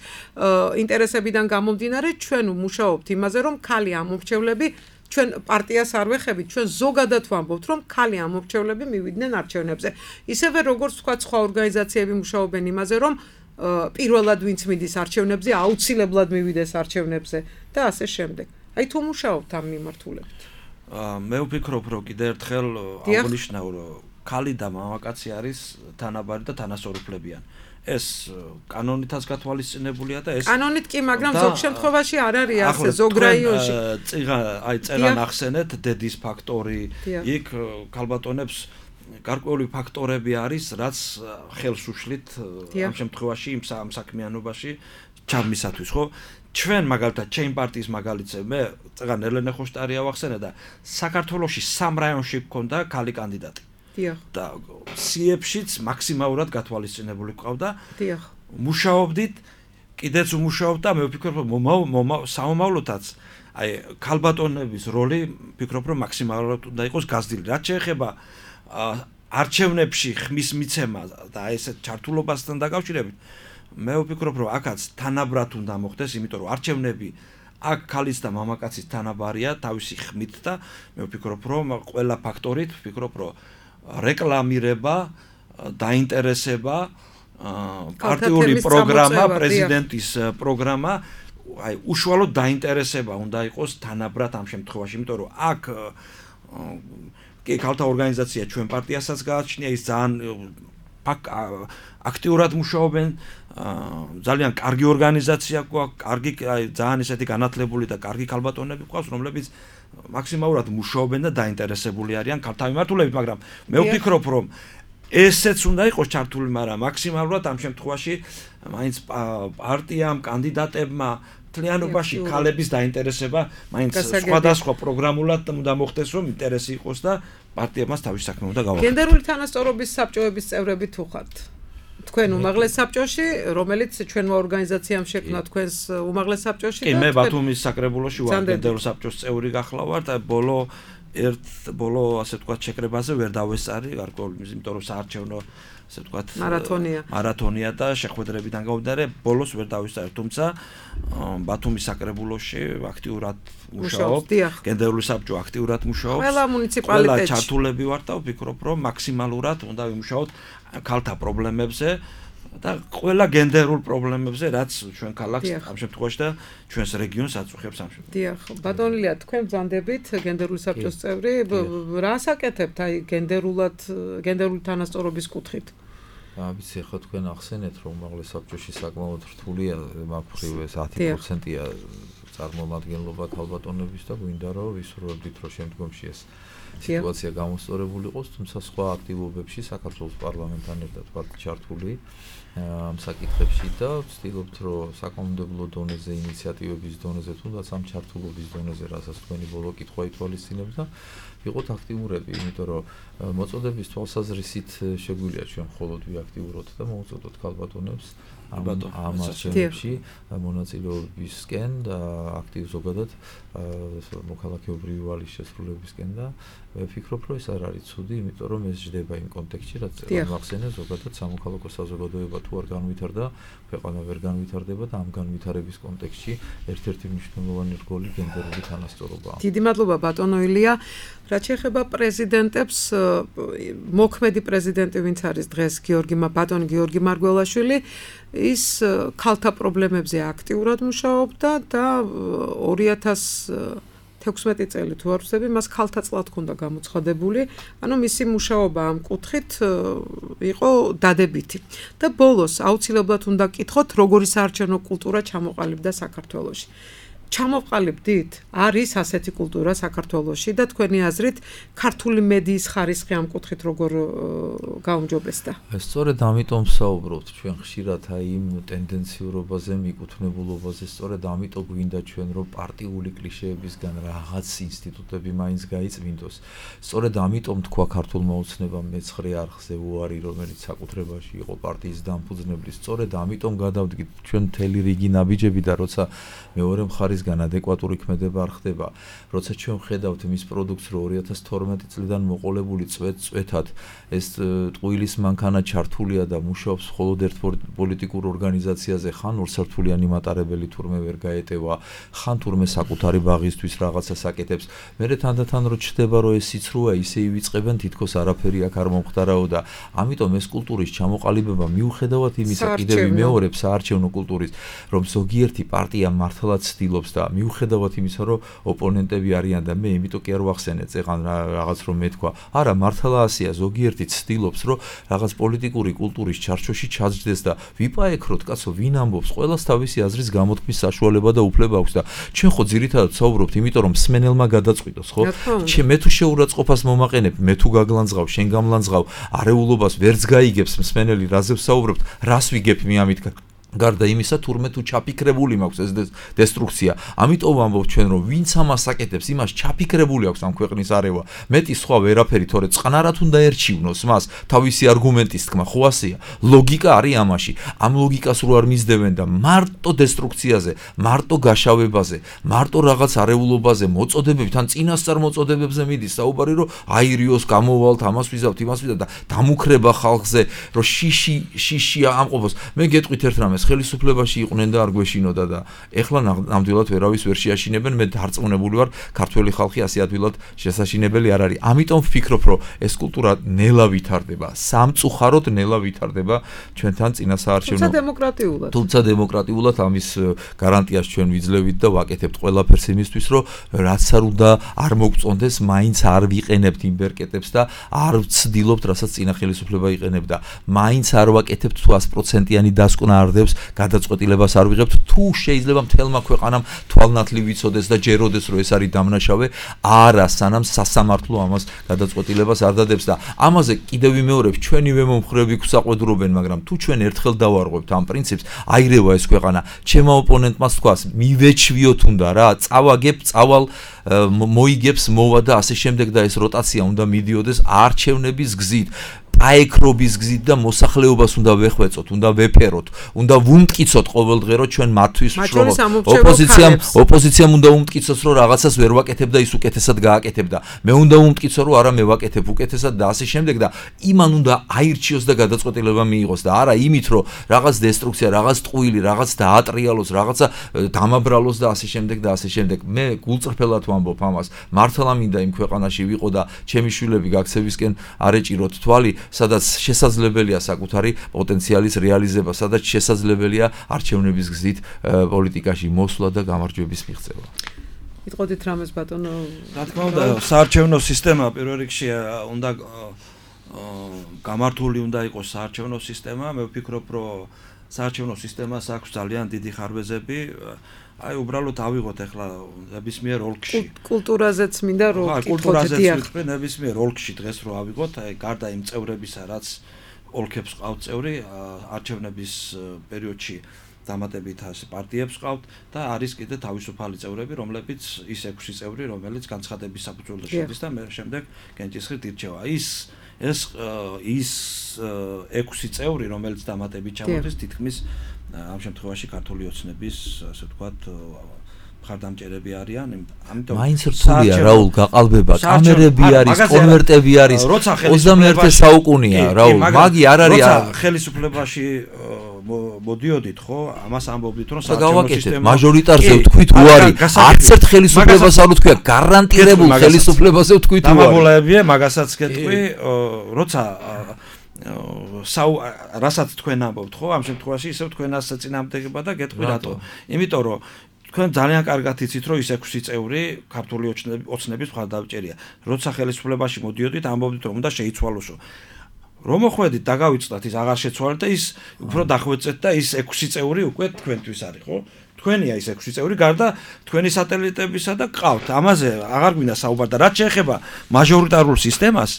ინტერესებიდან გამომდინარე ჩვენ ვმუშაობთ იმაზე რომ ქალი ამორჩევლები ჩვენ პარტიას არ ვეხებით ჩვენ ზოგადად ვამბობთ რომ ქალი ამორჩევლები მივიდნენ არჩევნებზე ისევე როგორც თქვა სხვა ორგანიზაციები მუშაობენ იმაზე რომ პირველად ვინც მიდის არჩევნებზე აუცილებლად მივიდეს არჩევნებზე და ასე შემდეგ. აი თუ მუშაობთ ამ მიმართულებით. მე ვფიქრობ რომ კიდევ ერთხელ აღნიშნავ რომ ქალი და მამაკაცი არის თანაბარი და თანასწორუფლებიან. ეს კანონითაც გათვალისწინებულია და ეს კანონით კი, მაგრამ ზოგ შემთხვევაში არ არის ასე ზოგ რაიონში. წიღა აი წერან ახსენეთ დედის ფაქტორი, იქ ქალბატონებს გარკვეული ფაქტორები არის, რაც ხელს უშლით ამ შემთხვევაში იმ საქმიანობაში ჩამისათვის, ხო? ჩვენ მაგალითად ჩემ პარტიის მაგალითზე მე წეგან ელენე ხოშტარია ვახსენე და საქართველოში სამ რაიონში გქონდა ქალი კანდიდატი. დიახ. და სიებშიც მაქსიმალურად გათვალისწინებული ყავდა. დიახ. მუშაობდით, კიდეც ვმუშაობ და მე ვფიქრობ რომ საომავლოდაც აი ქალბატონების როლი ვფიქრობ რომ მაქსიმალურად უნდა იყოს გაზრდილი. რაც შეეხება არჩევნებში ხმის მიცემა და ესეთ ჩართულობასთან დაკავშირებით მე ვფიქრობ რომ აქაც თანაბრად უნდა მოხდეს, იმიტომ რომ არჩევნები აქ ქალის და მამაკაცის თანაბარია თავისი ხმით და მე ვფიქრობ რომ ყველა ფაქტორით ვფიქრობ რომ რეკლამირება, დაინტერესება, პარტიული პროგრამა, პრეზიდენტის პროგრამა, აი უშუალოდ დაინტერესება უნდა იყოს თანაბრად ამ შემთხვევაში, იმიტომ რომ აქ კი ქალთა ორგანიზაცია ჩვენ პარტიასაც გააჩნია, ის ძალიან აქტიურად მუშაობენ, ძალიან კარგი ორგანიზაცია გვაქვს, კარგი ძალიან ისეთი განათლებული და კარგი ქალბატონები გვყავს, რომლებიც მაქსიმალურად მუშაობენ და დაინტერესებული არიან ქალთა მიმართულებით, მაგრამ მე ვფიქრობ, რომ ესეც უნდა იყოს ჩართული, მაგრამ მაქსიმალურად ამ შემთხვევაში მაინც პარტიამ, კანდიდატებმა მთლიანობაში ქალების დაინტერესება მაინც სხვადასხვა პროგრამულად უნდა მოხდეს, რომ ინტერესი იყოს და პარტიებმაც თავის საქმე უნდა გავაკეთოს. გენდერული თანასწორობის საბჭოების წევრები თუ ხართ? თქვენ უმაღლეს საბჭოში, რომელიც ჩვენმა ორგანიზაციამ შექმნა თქვენს უმაღლეს საბჭოში და კი მე ბათუმის საკრებულოში ვარ გენდერულ საბჭოს წევრი გახლავართ, ბოლო ერთ ბოლო ასე ვთქვათ შეკრებაზე ვერ დავესწარი გარკვეული იმიტომ რომ საარჩევნო ასე ვთქვათ მარათონია მარათონია და შეხვედრებიდან გამომდინარე ბოლოს ვერ დავესწარი თუმცა ბათუმის საკრებულოში აქტიურად მუშაობ გენდერული საბჭო აქტიურად მუშაობს ყველა მუნიციპალიტეტში ყველა ჩართულები ვარ და ვფიქრობ რომ მაქსიმალურად უნდა ვიმუშაოთ ქალთა პრობლემებზე და ყველა გენდერულ პრობლემებზე რაც ჩვენ ქალაქს ამ შემთხვევაში და ჩვენს რეგიონს აწუხებს ამ შემთხვევაში. დიახ, ბატონელია, თქვენ ბრძანდებით გენდერული საბჭოს წევრი, რას აკეთებთ აი გენდერულად გენდერული თანასწორობის კუთხით? ვიცი, ხო თქვენ ახსენეთ რომ უმაღლეს საბჭოში საკმაოდ რთულია მაგ-მხრივ ეს ათი პროცენტია წარმომადგენლობა ქალბატონების და გვინდა რომ ვისურვებდით რომ შემდგომში ეს სიტუაცია გამოსწორებული იყოს, თუმცა სხვა აქტივობებში საქართველოს პარლამენტთან ერთად ვართ ჩართული ამ საკითხებში და ვცდილობთ რომ საკანონმდებლო დონეზე, ინიციატივების დონეზე, თუნდაც ამ ჩართულობის დონეზე, რასაც თქვენი ბოლო კითხვა ითვალისწინებს და ვიყოთ აქტიურები, იმიტომ რომ მოწოდების თვალსაზრისით შეგვიძლია ჩვენ მხოლოდ ვიაქტიუროთ და მოუწოდოთ ქალბატონებს ამ არჩევნებში მონაწილეობისკენ და აქტივ ზოგადად მოქალაქეობრივი ვალის შესრულებისკენ და ვფიქრობ რომ ეს არ არის ცუდი, იმიტომ რომ ეს ჯდება იმ კონტექსტში, რაც მახსენე ზოგადად სამოქალაქო საზოგადოება თუ არ განვითარდა, ქვეყანა ვერ განვითარდება და ამ განვითარების კონტექსტში ერთ-ერთი მნიშვნელოვანი რგოლი გენდერული თანასწორობაა. დიდი მადლობა ბატონო ილია. რაც შეეხება პრეზიდენტებს, მოქმედი პრეზიდენტი ვინც არის დღეს გიორგი ბატონი გიორგი მარგველაშვილი, ის ქალთა პრობლემებზე აქტიურად მუშაობდა და ორი ათას თექვსმეტი წელი თუ არ ვსები, მას ქალთა წლად ჰქონდა გამოცხადებული, ანუ მისი მუშაობა ამ კუთხით იყო დადებითი. და ბოლოს აუცილებლად უნდა გკითხოთ, როგორი საარჩევნო კულტურა ჩამოყალიბდა საქართველოში. ჩამოყალიბდით? არის ასეთი კულტურა საქართველოში და თქვენი აზრით ქართული მედიის ხარისხი ამ კუთხით როგორ გაუმჯობესდა? სწორედ ამიტომ ვსაუბრობთ ჩვენ ხშირად აი იმ ტენდენციურობაზე, მიკუთვნებულობაზე, სწორედ ამიტომ გვინდა ჩვენ რომ პარტიული კლიშეებისგან რაღაც ინსტიტუტები მაინც გაიწმინდოს. სწორედ ამიტომ თქვა ქართულმა ოცნებამ მეცხრე არხზე უარი, რომელიც საკუთრებაში იყო პარტიის დამფუძნებლის. სწორედ ამიტომ გადავდგით ჩვენ მთელი რიგი ნაბიჯები და როცა მეორე მხარის ადეკვატური ქმედება არ ხდება, როცა ჩვენ ვხედავთ მის პროდუქტს, რომ ორი ათას თორმეტი წლიდან მოყოლებული წვეთ-წვეთად ეს ტყუილის მანქანა ჩართულია და მუშაობს მხოლოდ ერთ პოლიტიკურ ორგანიზაციაზე, ხან ორსართულიანი მატარებელი თურმე ვერ გაეტევა, ხან თურმე საკუთარი ბაღისთვის რაღაცას აკეთებს. მერე თანდათან რო ჩდება, რომ ეს სიცრუა ისე ივიწყებენ, თითქოს არაფერი აქ არ მომხდარაო და ამიტომ ეს კულტურის ჩამოყალიბება მიუხედავად იმისა, კიდევ ვიმეორებ საარჩევნო კულტურის, რომ ზოგიერთი პარტია მართლაც ცდილობს და მიუხედავად იმისა, რომ ოპონენტები არიან და მე იმიტომ კი არ ვახსენე წეღან რაღაც რომ მეთქვა. არა, მართლა ასეა, ზოგიერთი ცდილობს, რომ რაღაც პოლიტიკური კულტურის ჩარჩოში ჩაჯდეს და ვიპაექროთ, კაცო, ვინ ამბობს, ყველას თავისი აზრის გამოთქმის საშუალება და უფლება აქვს და ჩვენ ხო ძირითადად ვსაუბრობთ, იმიტომ რომ მსმენელმა გადაწყვიტოს, ხო? ჩვენ მე თუ შეურაცხყოფას მომაყენებ, მე თუ გაგლანძღავ, შენ გამლანძღავ, არეულობას ვერც გაიგებს მსმენელი, რაზე ვსაუბრობთ, რას ვიგებ მე ამით გარდა იმისა, თურმე თუ ჩაფიქრებული მაქვს ეს დესტრუქცია. ამიტომ ვამბობ ჩვენ რომ ვინც ამას აკეთებს, იმას ჩაფიქრებული აქვს ამ ქვეყნის არევა. მეტი სხვა ვერაფერი, თორე წყნარად უნდა ერჩივნოს მას თავისი არგუმენტის თქმა, ხო ასეა. ლოგიკა არის ამაში. ამ ლოგიკას რო არ მისდევენ და მარტო დესტრუქციაზე, მარტო გაშავებაზე, მარტო რაღაც არეულობაზე მოწოდებებით, ან წინასწარ მოწოდებებზე მიდის საუბარი, რომ აირიოს გამოვალთ, ამას ვიზავთ, იმას ვიზავთ და დამუქრება ხალხზე, რომ შიში შიშია ამყოფოს. მე გეტყვით ერთ რამეს ხელისუფლებაში იყვნენ და არ გვეშინოდა და ეხლა ნამდვილად ვერავის ვერ შეაშინებენ. მე დარწმუნებული ვარ, ქართველი ხალხი ასე ადვილად შესაშინებელი არ არის. ამიტომ ვფიქრობ, რომ ეს კულტურა ნელა ვითარდება, სამწუხაროდ ნელა ვითარდება ჩვენთან წინა საარჩევნო. თუმცა დემოკრატიულად. თუმცა დემოკრატიულად ამის გარანტიას ჩვენ ვიძლევით და ვაკეთებთ ყველაფერს იმისთვის, რომ რაც არ უნდა არ მოგწონდეს, მაინც არ ვიყენებთ იმ ბერკეტებს და არ ვცდილობთ, რასაც წინა ხელისუფლება იყენებდა. მაინც არ ვაკეთებთ თუ sto პროცენტიანი დასკვნა არ დებს, გადაწყვეტილებას არ ვიღებთ, თუ შეიძლება მთელმა ქვეყანამ თვალნათლი ვიცოდეს და ჯეროდეს, რომ ეს არის დამნაშავე, არა, სანამ სასამართლო ამას გადაწყვეტილებას არ დადებს და ამაზე კიდევ ვიმეორებ, ჩვენივე მომხრეები გვსაყვედურობენ, მაგრამ თუ ჩვენ ერთხელ დავარღვევთ ამ პრინციპს, აირევა ეს ქვეყანა. ჩემმა ოპონენტმა თქვას, მივეჩვიოთ უნდა რა, წავაგებ, წავალ, მოიგებს, მოვა და ასე შემდეგ და ეს როტაცია უნდა მიდიოდეს არჩევნების გზით. გაექრობის გზით და მოსახლეობას უნდა ვეხვეწოთ, უნდა ვეფეროთ, უნდა ვუმტკიცოთ ყოველდღე ჩვენ მათთვის ვშრობოთ. ოპოზიციამ ოპოზიციამ უნდა უმტკიცოს რომ რაღაცას ვერ ვაკეთებ და ის უკეთესად გააკეთებდა. მე უნდა უმტკიცო რომ არა მე ვაკეთებ უკეთესად და ასე შემდეგ და იმან უნდა აირჩიოს და გადაწყვეტილება მიიღოს და არა იმით რომ რაღაც დესტრუქცია, რაღაც ტყუილი, რაღაც დაატრიალოს, რაღაცა დამაბრალოს და ასე შემდეგ და ასე შემდეგ. მე გულწრფელად ვამბობ ამას. მართლა მინდა იმ ქვეყანაში ვიყო და ჩემი შვილები გაქცევისკენ არ ეჭიროთ თვალი, სადაც შესაძლებელია საკუთარი პოტენციალის რეალიზება, სადაც შესაძლებელია არჩევნების გზით პოლიტიკაში მოსვლა და გამარჯვების მიღწევა. იტყოდით რამეს ბატონო? რა თქმა უნდა, საარჩევნო სისტემა პირველ რიგში უნდა გამართული უნდა იყოს საარჩევნო სისტემა. მე ვფიქრობ, რომ საარჩევნო სისტემას აქვს ძალიან დიდი ხარვეზები. აი უბრალოდ ავიღოთ ახლა ნებისმიერ ოლქში. კულტურაზეც მინდა რომ კითხოთ დიახ. ნებისმიერ ოლქში დღეს რო ავიღოთ, აი გარდა იმ წევრებისა, რაც ოლქებს ყავთ წევრი, არჩევნების პერიოდში დამატებით ასე პარტიებს ყავთ და არის კიდე თავისუფალი წევრები, რომლებიც ის ექვსი წევრი, რომელიც განცხადების საფუძველზე შედის და მე შემდეგ გენჭისყრით ირჩევა. ის ეს ის ექვსი წევრი, რომელიც დამატებით ჩამოდის, თითქმის ამ შემთხვევაში ქართული ოცნების, ასე ვთქვათ, მხარდამჭერები არიან, ამიტომ მაინც რთულია რაულ გაყალბება, კამერები არის, კონვერტები არის, ოცდამეერთე საუკუნეა რაულ, მაგი არ არის. როცა ხელისუფლებაში მოდიოდით, ხო, ამას ამბობდით, რომ საარჩევნო სისტემა მაჟორიტარზე ვთქვით უარი, არც ერთ ხელისუფლებას არ ვთქვია, გარანტირებულ ხელისუფლებაზე ვთქვით უარი. დამაბოლოებია, მაგასაც გეტყვი, როცა საუ რასაც თქვენ ამბობთ, ხო, ამ შემთხვევაში ისევ თქვენას წინააღმდეგება და გეტყვი რატო? იმიტომ რომ თქვენ ძალიან კარგად იცით, რომ ის ექვსი წევრი ქართული ოცნების მხარდამჭერია. როცა ხელისუფლებაში მოდიოდით, ამბობდით, რომ უნდა შეიცვალოსო. რომ მოხვედით, დაგავიწყდათ, ის აღარ შეცვალეთ და ის უფრო დახვეწეთ და ის ექვსი წევრი უკვე თქვენთვის არის, ხო? თქვენია ის ექვსი წევრი, გარდა თქვენი სატელიტებისა და ყავთ. ამაზე აღარ გვინდა საუბარი და რაც შეეხება მაჟორიტარულ სისტემას,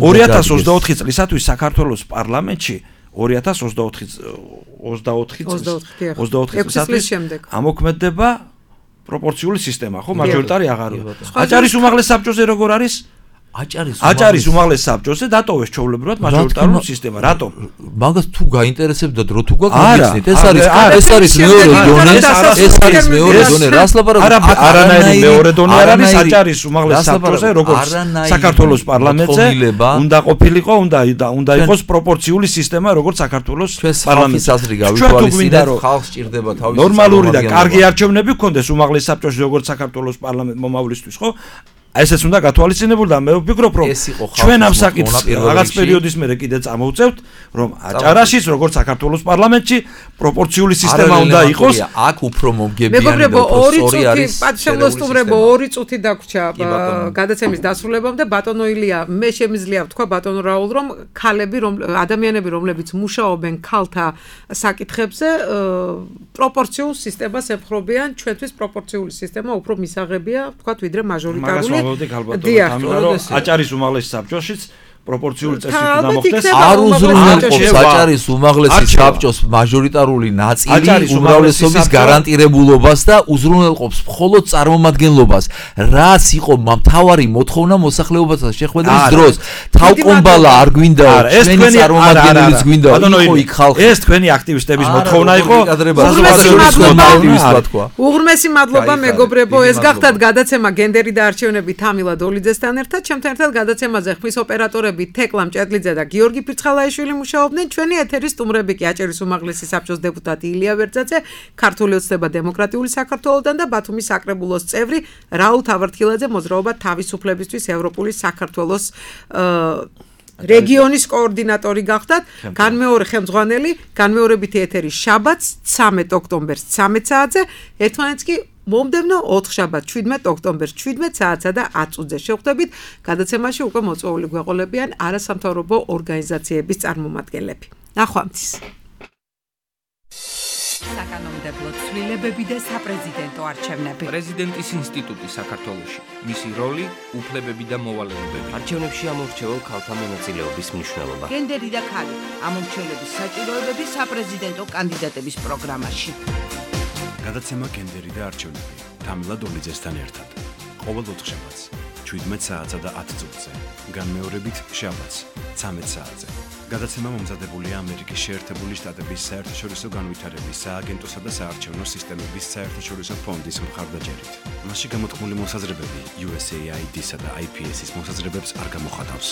ორი ათას ოცდაოთხი წლისათვის საქართველოს პარლამენტში ორი ათას ოცდაოთხი წლისათვის ამოქმედდება პროპორციული სისტემა, ხო, მაჟორიტარი აღარია. აჭარის უმაღლეს საბჭოზე როგორ არის? აჭარის აჭარის უმაღლეს საბჭოზე დატოვეს ჩვეულებრივად მაჟორიტარული სისტემა. რატომ? მაგას თუ გაინტერესებდა დრო თუ გაგვიქცეთ, ეს არის ეს არის მეორე დონე, ეს არის მეორე დონე. რას ლაპარაკობთ? არანაირი მეორე დონე არ არის აჭარის უმაღლეს საბჭოზე, როგორც საქართველოს პარლამენტზე უნდა ყოფილიყო, უნდა უნდა იყოს პროპორციული სისტემა, როგორც საქართველოს პარლამენტის აზრი გავითვალისწინეთ, ხალხს სჭირდება თავისი ნორმალური და კარგი არჩევნები გქონდეს უმაღლეს საბჭოში, როგორც საქართველოს პარლამენტ მომავლისთვის, ხო? ესეც უნდა გათვალისწინებულ და მე ვფიქრობ, რომ ჩვენ ამ საკითხს რაღაც პერიოდის მერე კიდე წამოვწევთ, რომ აჭარაშიც როგორც საქართველოს პარლამენტში პროპორციული სისტემა უნდა იყოს. აქ უფრო მომგებიანი და უფრო სწორი არის. პატშემოსტუმრებო ორი წუთი დაგვრჩა გადაცემის დასრულებამ და ბატონო ილია, მე შემიძლია ვთქვა ბატონო რაულ, რომ ქალები, რომ ადამიანები, რომლებიც მუშაობენ ქალთა საკითხებზე, პროპორციულ სისტემას ემხრობიან. ჩვენთვის პროპორციული სისტემა უფრო მისაღებია, ვთქვათ, ვიდრე მაჟორიტარული. აჭარის უმაღლეს საბჭოშიც პროპორციული წესით უნდა მოხდეს. არ უზრუნველყოფს აჭარის უმაღლესი საბჭოს მაჟორიტარული ნაწილი უმრავლესობის გარანტირებულობას და უზრუნველყოფს მხოლოდ წარმომადგენლობას. რაც იყო მთავარი მოთხოვნა მოსახლეობასთან შეხვედრის დროს. თავკომბალა არ გვინდაო, ჩვენი წარმომადგენლიც გვინდაო, იყო იქ ხალხი. ეს თქვენი აქტივისტების მოთხოვნა იყო. უღრმესი მადლობა მეგობრებო, ეს გახდათ გადაცემა გენდერი და არჩევნები თამილა დოლიძესთან ერთად. ჩემთან ერთად გადაცემაზე ხმის ოპერატორი თეკლამ ჭედლიძე და გიორგი ფირცხალაიშვილი მუშაობდნენ. ჩვენი ეთერის სტუმრები კი აჭარის უმაღლესი საბჭოს დეპუტატი ილია ვერძაძე, ქართული ოცნება დემოკრატიული საქართველოსთან და ბათუმის საკრებულოს წევრი რაულ თავართილაძე, მოძრაობა თავისუფლებისთვის ევროპული საქართველოს რეგიონის კოორდინატორი გახდათ. განმეორე ხელმძღვანელი, განმეორებითი ეთერი შაბათს ცამეტ ოქტომბერს ცამეტ საათზე, ერთმანეთს კი მომდევნო ოთხშაბათ შვიდმეტ ოქტომბერს შვიდმეტ საათსა და ათ წუთზე შევხვდებით. გადაცემაში უკვე მოწვეული გვეყოლებიან არასამთავრობო ორგანიზაციების წარმომადგენლები. ნახვამდის. საკანონმდებლო ცვლილებები და საპრეზიდენტო არჩევნები. პრეზიდენტის ინსტიტუტი საქართველოში. მისი როლი, უფლებები და მოვალეობები. არჩევნებში ამორჩეულ ქალთა მონაწილეობის მნიშვნელობა. გენდერი და ქალი. ამორჩევლების საჭიროებები საპრეზიდენტო კანდიდატების პროგრამაში. გადაცემა გენდერი და არჩევნები. თამილა დოლიძესთან ერთად. ყოველ ოთხშაბათს ჩვიდმეტ საათსა და ათ წუთზე. განმეორებით შაბათს ცამეტ საათზე. გადაცემა მომზადებულია ამერიკის შეერთებული შტატების საერთაშორისო განვითარების სააგენტოსა და საარჩევნო სისტემების საერთაშორისო ფონდის მხარდაჭერით. მასში გამოთქმული მოსაზრებები იუ ეს ეი აი დი-სა და აი პი ეს-ის მოსაზრებებს არ გამოხატავს.